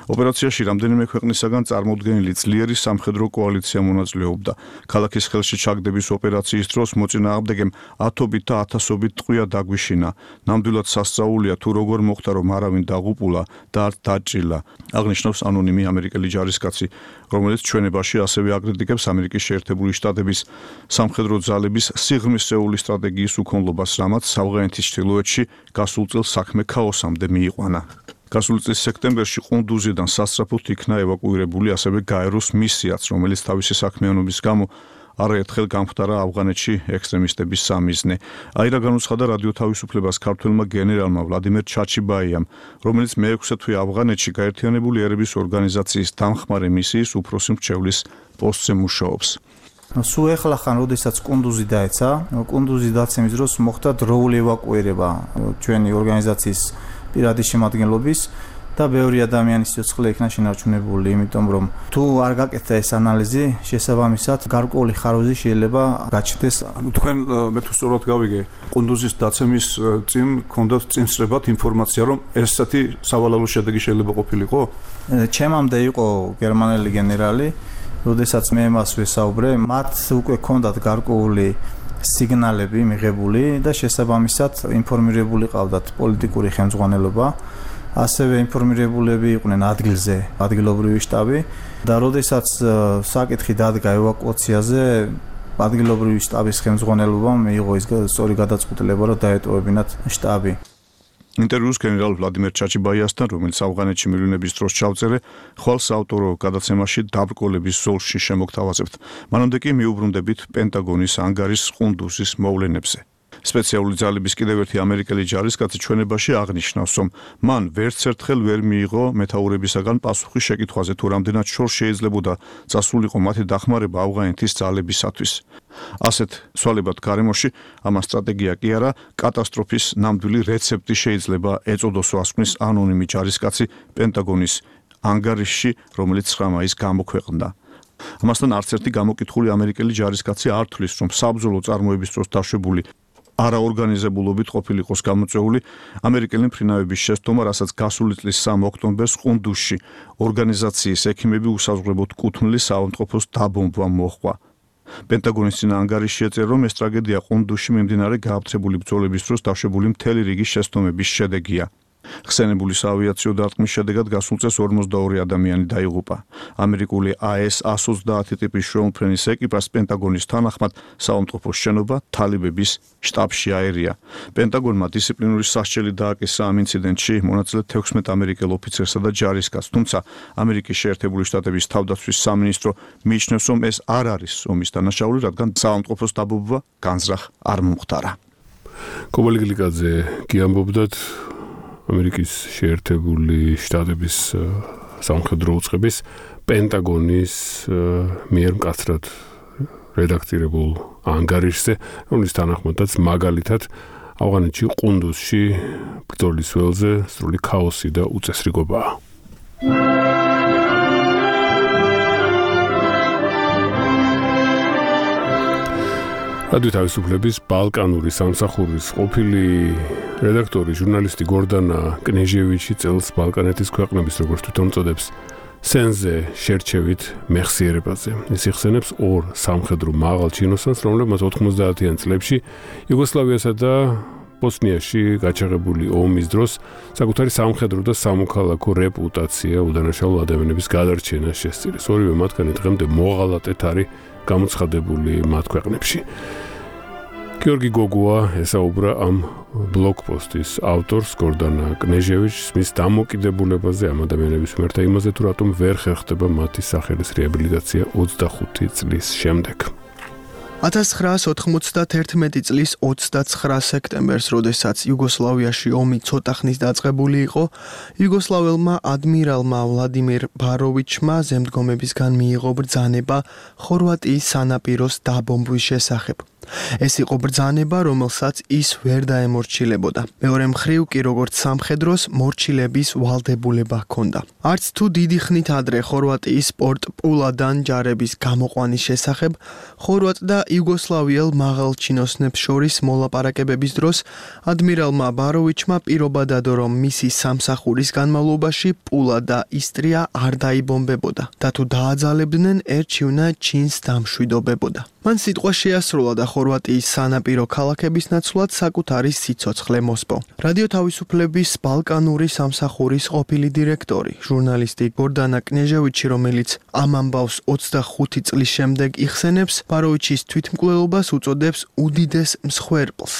ოპერაციაში რამდენიმე ქვეყნისაგან წარმოდგენილი ძლიერი სამხედრო კოალიცია მონაწილეობდა. ქალაქის ხელში ჩაგდების ოპერაციის დროს მოწინააღმდეგემ ათობით და ათასობით ტყვია დაგვიშინა. ნამდვილად სასწაულია თუ როგორ მოხდა, რომ არავინ დაღუპულა და არ დაჭრილა, აღნიშნავს ანონიმი ამერიკელი ჯარისკაცი, რომელიც ჩვენებაში ასევე აკრიტიკებს ამერიკის შეერთებული შტატების სამხედრო ძალების სიღრმისეული სტრატეგიის უქონლობას, რამაც ავღანეთის ჩრდილოეთში გასულ წელს საქმე ქაოსამდე მიიყვანა. გასული წლის სექტემბერში ყუნდუზიდან სასწრაფოდ იქნა ევაკუირებული ასევე გაეროს მისიაც, რომელიც თავისი საქმიანობის გამო არაერთხელ გამხდარა ავღანეთში ექსტრემისტების სამიზნე. აირა განუცხადა რადიო თავისუფლებას ქართველმა გენერალმა ვლადიმერ ჩაჩიბაიამ, რომელიც მეექვსე თვე ავღანეთში გაერთიანებული ერების ორგანიზაციის დამხმარე მისიის უფროსი მრჩევლის პოსტზე მუშაობს. სულ ეხლა ხან როდესაც ყუნდუზი დაეცა, ყუნდუზი დაცემის დროს მოხდა დროული ევაკუირება ჩვენი ორგანიზაციის პირადი შემადგენლობის და ბევრი ადამიანის სიცოცხლე იქნა შენარჩუნებული, იმიტომ რომ თუ არ გაკეთდა ეს ანალიზი, შესაბამისად გარკვეული ხარვეზი შეიძლება გაჩნდეს. თქვენ მე თუ სწორად გავიგე, ყუნდუზის დაცემის წინ ჰქონდათ წინსწრებად ინფორმაცია, რომ ესეთი სავალალო შედეგი შეიძლება ყოფილიყო? ჩემამდე იყო გერმანელი გენერალი, როდესაც მე მას ვესაუბრე, მათ უკვე ჰქონდათ გარკვეული სიგნალები მიღებული და შესაბამისად ინფორმირებული ყავდათ პოლიტიკური ხელმძღვანელობა, ასევე ინფორმირებულები იყვნენ ადგილზე, ადგილობრივი შტაბი და როდესაც საკითხი დადგა ევაკუაციაზე, ადგილობრივი შტაბის ხელმძღვანელობამ მიიღო ის სწორი გადაწყვეტილება, რომ დაეტოვებინათ შტაბი. ინტერვიუს გენერალ ვლადიმერ ჩაჩიბაიასთან, რომელიც ავღანეთში მილიონების დროს ჩავწერე, ხვალ საავტორო გადაცემაში დაბრკოლების ზოლში შემოგთავაზებთ. მანამდე კი მიუბრუნდებით პენტაგონის ანგარის ყუნდუზის მოვლენებზე. სპეციალური ძალების კიდევ ერთი ამერიკელი ჯარისკაცი ჩვენებაში აღნიშნავს, რომ მან ვერც ერთხელ ვერ მიიღო მეთაურებისაგან პასუხი შეკითხვაზე, თუ რამდენად შორს შეიძლებოდა წასულიყო მათი დახმარება ავღანეთის ძალებისათვის. ასეთ სვალებად გარემოში ამას სტრატეგია კი არა, კატასტროფის ნამდვილი რეცეპტი შეიძლება ეწოდოს, ასკვნის ანონიმი ჯარისკაცი პენტაგონის ანგარიში, რომელიც ცხრა მაისს გამოქვეყნდა. ამასთან არც ერთი გამოკითხული ამერიკელი ჯარისკაცი არ თვლის, რომ საბრძოლო წარმოების დროს დაშვებული არაორგანიზებულობით ყოფილიყოს გამოწვეული ამერიკელი მფრინავების შესტომა, რასაც გასული წლის სამი ოქტომბერს ყუნდუზში ორგანიზაციის ექიმები უსაზღვრებოდ კუთვნილი საავადმყოფოს დაბომბვა მოჰყვა. პენტაგონის წინა ანგარიში ეწერა, რომ ეს ტრაგედია ყუნდუზში მიმდინარე გააფთრებული ბრძოლების დროს დაშვებული მთელი რიგი შესტომების შედეგია. ხსენებული საავიაციო დარტყმის შედეგად გასულ წელს ორმოცდაორი ადამიანი დაიღუპა. ამერიკული ა ეს εκατს ოცდაათი ტიპის შვეულმფრენის ეკიპას პენტაგონის თანახმად საავადმყოფოს შენობა თალიბების შტაბში აერია. პენტაგონმა დისციპლინური სასჯელი დააკისრა ამ ინციდენტში მონაწილე თექვსმეტ ამერიკელ ოფიცერსა და ჯარისკაცს, თუმცა ამერიკის შეერთებული შტატების თავდაცვის სამინისტრო მიიჩნევს, რომ ეს არ არის ომის დანაშაული, რადგან საავადმყოფოს დაბომბვა განზრახ არ მომხდარა. კობალე გლიკაძე კი ამბობდათ ამერიკის შეერთებული შტატების სამხედრო უწყების პენტაგონის მიერ მკაცრად რედაქტირებულ ანგარიშზე, რომლის თანახმადაც მაგალითად ავღანეთში ყუნდუზში ბრძოლის ველზე სრული ქაოსი და უწესრიგობაა. რადიო თავისუფლების ბალკანური სამსახურის ყოფილი რედაქტორი, ჟურნალისტი გორდანა კნეჟევიჩი წელს ბალკანეთის ქვეყნების, როგორც თვითონ წოდებს, სენზე შერჩევით მეხსიერებაზე. ის იხსენებს ორ სამხედრო მაღალ ჩინოსანს, რომლებმაც ოთხმოცდაათიან წლებში იუგოსლავიასა და ბოსნიაში გაჩაღებული ომის დროს საკუთარი სამხედრო და სამოქალაქო რეპუტაცია უდანაშაულო ადამიანების გადარჩენას შესწირეს. ორივე მათგანი დღემდე მოღალატედ არის გამოცხადებული მათ ქვეყნებში. გიორგი გოგუა ესაუბრა ამ ბლოგპოსტის ავტორს გორდანა კნეჟევიჩს მის დამოკიდებულებაზე ამ ადამიანების მიერ და იმაზე, თუ რატომ ვერ ხერხდება მათი სახელის რეაბილიტაცია ოცდახუთი წლის შემდეგ. ათას ცხრაასი ოთხმოცდათერთმეტი წლის ოცდაცხრა სექტემბერს, როდესაც იუგოსლავიაში ომი ცოტა ხნის დაწყებული იყო, იუგოსლაველმა ადმირალმა ვლადიმირ ბაროვიჩმა ზემდგომებისგან მიიღო ბრძანება ხორვატიის სანაპიროს დაბომბვის შესახებ. ეს იყო ბრძანება, რომელსაც ის ვერ დაემორჩილებოდა. მეორე მხრივ კი როგორც სამხედროს მორჩილების ვალდებულება ჰქონდა. არც თუ დიდი ხნით ადრე ხორვატიის პორტ პულადან ჯარების გამოყვანის შესახებ ხორვატ და იუგოსლავიელ მაღალჩინოსნებს შორის მოლაპარაკებების დროს ადმირალმა ბაროვიჩმა პირობა დადო, რომ მისი სამსახურის განმავლობაში პულა და ისტრია არ დაიბომბებოდა და თუ დააძალებდნენ, ერჩივნა ჩინს დამშვიდობებოდა. მან სიტყვა შეასრულა და ხორვატიის სანაპირო ქალაქების ნაცვლად საკუთარი სიცოცხლე მოსპო. რადიო თავისუფლების ბალკანური სამსახურის ყოფილი დირექტორი, ჟურნალისტი გორდანა კნეჟევიჩი, რომელიც ამ ამბავს ოცდახუთი წლის შემდეგ იხსენებს, ბაროვიჩის თვითმკვლელობას უწოდებს უდიდეს მსხვერპლს.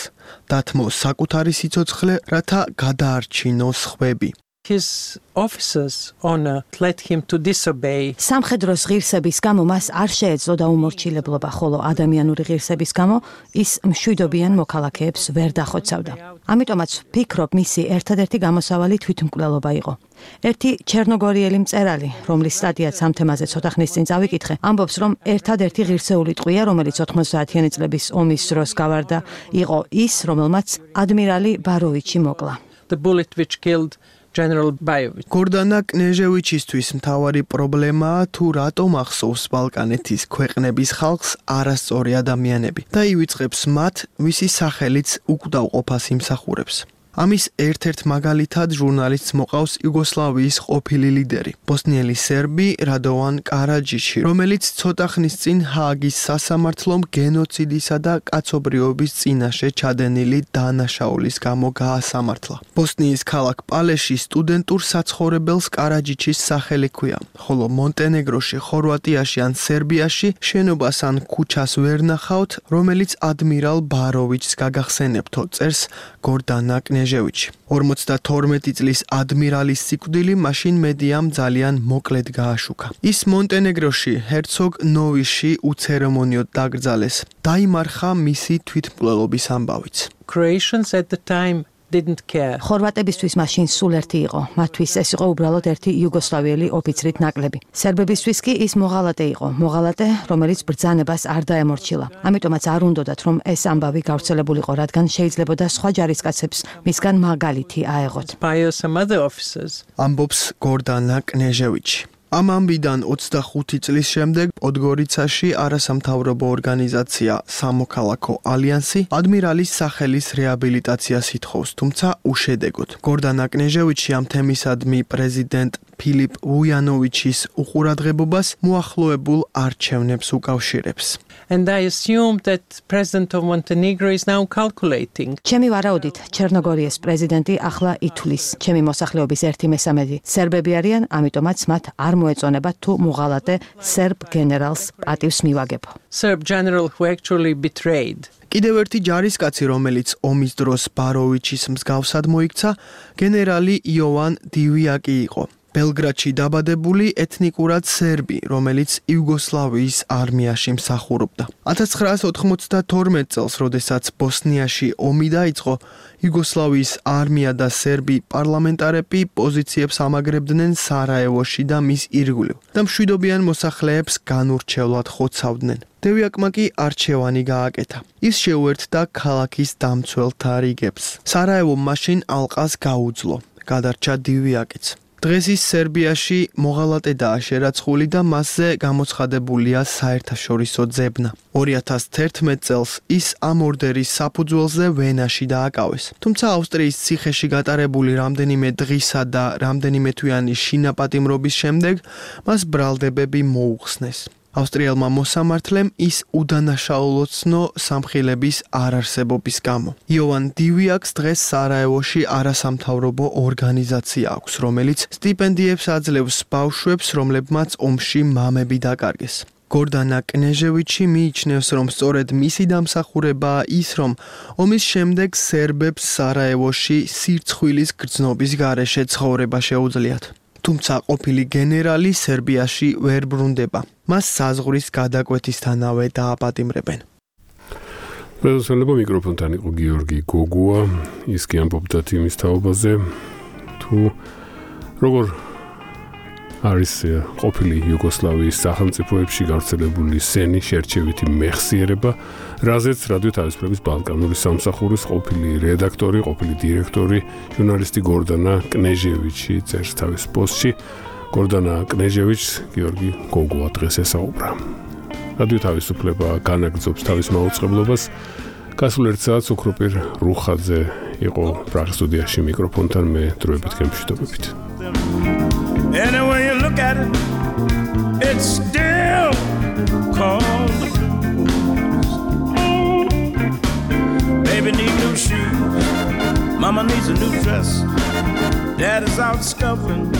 დათმო საკუთარი სიცოცხლე, რათა გადაარჩინოს სხვები. His officers honor led him to disobey. სამხედროს ღირსების გამო მას არ შეეძლო დაუმორჩილებლობა, ხოლო ადამიანური ღირსების გამო ის მშვიდობიან მოქალაქეებს ვერ დახოცავდა. ამიტომაც ვფიქრობ, მისი ერთადერთი გამოსავალი თვითმკვლელობა იყო. ერთი ჩერნოგორიელი მწერალი, რომლის სტატიაც ამ თემაზე ცოტა ხნის წინ წავიკითხე, ამბობს, რომ ერთადერთი ღირსეული ტყვია, რომელიც ოთხმოცდაათიანი წლების ომის დროს გავარდა, იყო ის, რომელმაც ადმირალი ბაროვიჩი მოკლა. The bullet which killed General Bajovic. გორდანა კნეჟევიჩისთვის მთავარი პრობლემაა, თუ რატომ ახსოვს ბალკანეთის ქვეყნების ხალხს არასწორი ადამიანები და ივიწყებს მათ, ვისი სახელიც უკვდავყოფას იმსახურებს. ამის ერთ-ერთ მაგალითად ჟურნალისტს მოყავს იუგოსლავიის ყოფილი ლიდერი, ბოსნიელი სერბი რადოვან კარაჯიჩი, რომელიც ცოტა ხნის წინ ჰააგის სასამართლომ გენოციდისა და კაცობრიობის წინაშე ჩადენილი დანაშაულის გამო გაასამართლა. ბოსნიის ქალაქ პალეში სტუდენტურ საცხოვრებელს კარაჯიჩის სახელი ჰქვია, ხოლო მონტენეგროში, ხორვატიაში ან სერბიაში შენობას ან ქუჩას ვერ ნახავთ, რომელიც ადმირალ ბაროვიჩს გაგახსენებთო, წერს გორდანა კნეჟევიჩი. ორმოცდათორმეტი წლის ადმირალის სიკვდილი მაშინ მედიამ ძალიან მოკლედ გააშუქა. ის მონტენეგროში, ჰერცოგ ნოვიში უცერემონიოდ დაკრძალეს. დაიმარხა მისი თვითმკვლელობის ამბავიც. Croatians at the time didn't care. ხორვატებისთვის მაშინ სულ ერთი იყო. მათთვის ეს იყო უბრალოდ ერთი იუგოსლავიელი ოფიცრით ნაკლები. სერბებისთვის კი ის მოღალატე იყო. მოღალატე, რომელიც ბრძანებას არ დაემორჩილა. ამიტომაც არ უნდოდათ, რომ ეს ამბავი გავრცელებულიყო, რადგან შეიძლებოდა სხვა ჯარისკაცებს მისგან მაგალითი აეღოთ. ამბობს გორდანა კნეჟევიჩი. ამ ამბიდან ოცდახუთი წლის შემდეგ პოდგორიცაში არასამთავრობო ორგანიზაცია სამოქალაქო ალიანსი ადმირალის სახელის რეაბილიტაციას ითხოვს, თუმცა უშედეგოდ. გორდანა კნეჟევიჩი ამ თემისადმი პრეზიდენტ ფილიპ ვუიანოვიჩის უყურადღებობას მოახლოებულ არჩევნებს უკავშირებს. And I assume that President of Montenegro is now calculating. ჩემი ვარაუდით, ჩერნოგორიის პრეზიდენტი ახლა ითვლის, ჩემი მოსახლეობის ერთი მესამედი სერბები არიან, ამიტომაც მათ არ მოეწონებათ თუ მოღალატე სერბ გენერალს პატივს მივაგებო. Serb general who actually betrayed. კიდევ ერთი ჯარისკაცი, რომელიც ომის დროს ბაროვიჩის მსგავსად მოიქცა, გენერალი იოვან დივიაკი იყო. ბელგრადში დაბადებული ეთნიკურად სერბი, რომელიც იუგოსლავიის არმიაში მსახურობდა. ათას ცხრაასი ოთხმოცდათორმეტ წელს, როდესაც ბოსნიაში ომი დაიწყო, იუგოსლავიის არმია და სერბი პარლამენტარები პოზიციებს ამაგრებდნენ სარაევოში და მის ირგვლივ და მშვიდობიან მოსახლეებს განურჩევლად ხოცავდნენ. დევიაკმა კი არჩევანი გააკეთა. ის შეუერთდა ქალაქის დამცველთა რიგებს. სარაევომ მაშინ ალყას გაუძლო. გადარჩა დივიაკიც. დღეს ის სერბიაში მოღალატედაა შერაცხული და მასზე გამოცხადებულია საერთაშორისო ძებნა. ორი ათას თერთმეტ წელს ის ამ ორდერის საფუძველზე ვენაში დააკავეს. თუმცა ავსტრიის ციხეში გატარებული რამდენიმე დღისა და რამდენიმე თვიანი შინაპატიმრობის შემდეგ მას ბრალდებები მოუხსნეს. ავსტრიელმა მოსამართლემ ის უდანაშაულოცნო სამხილების არარსებობის გამო. იოვან დივიაკს დღეს სარაევოში არასამთავრობო ორგანიზაცია აქვს, რომელიც სტიპენდიებს აძლევს ბავშვებს, რომლებმაც ომში მამები დაკარგეს. გორდანა კნეჟევიჩი მიიჩნევს, რომ სწორედ მისი დამსახურებაა ის, რომ ომის შემდეგ სერბებს სარაევოში სირცხვილის გრძნობის გარეშე ცხოვრება შეუძლიათ. თუმცა ყოფილი გენერალი სერბიაში ვერ ბრუნდება. მას საზღვრის გადაკვეთისთანავე დააპატიმრებენ. პრეზიდენტობა მიკროფონთან იყო გიორგი გოგუა, ის კი ამბობდა იმის თაობაზე, თუ როგორ არის ყოფილი იუგოსლავიის სახელმწიფოებში გავრცელებული სენი შერჩევითი მეხსიერება, რაზეც რადიო თავისუფლების ბალკანური სამსახურის ყოფილი რედაქტორი, ყოფილი დირექტორი, ჟურნალისტი გორდანა კნეჟევიჩი წერს თავის პოსტში. გორდანა კნეჟევიჩს გიორგი გოგუა დღეს ესაუბრა. რადიო თავისუფლება განაგრძობს თავის მაუწყებლობას. გასულ ერთ საათს ოქროპირ რუხაძე იყო პრაღის სტუდიაში მიკროფონთან, მე დროებით გემშვიდობებით. Any way you look at it, it's still called the blues. Baby need new shoes, mama needs a new dress, dad is out scuffling.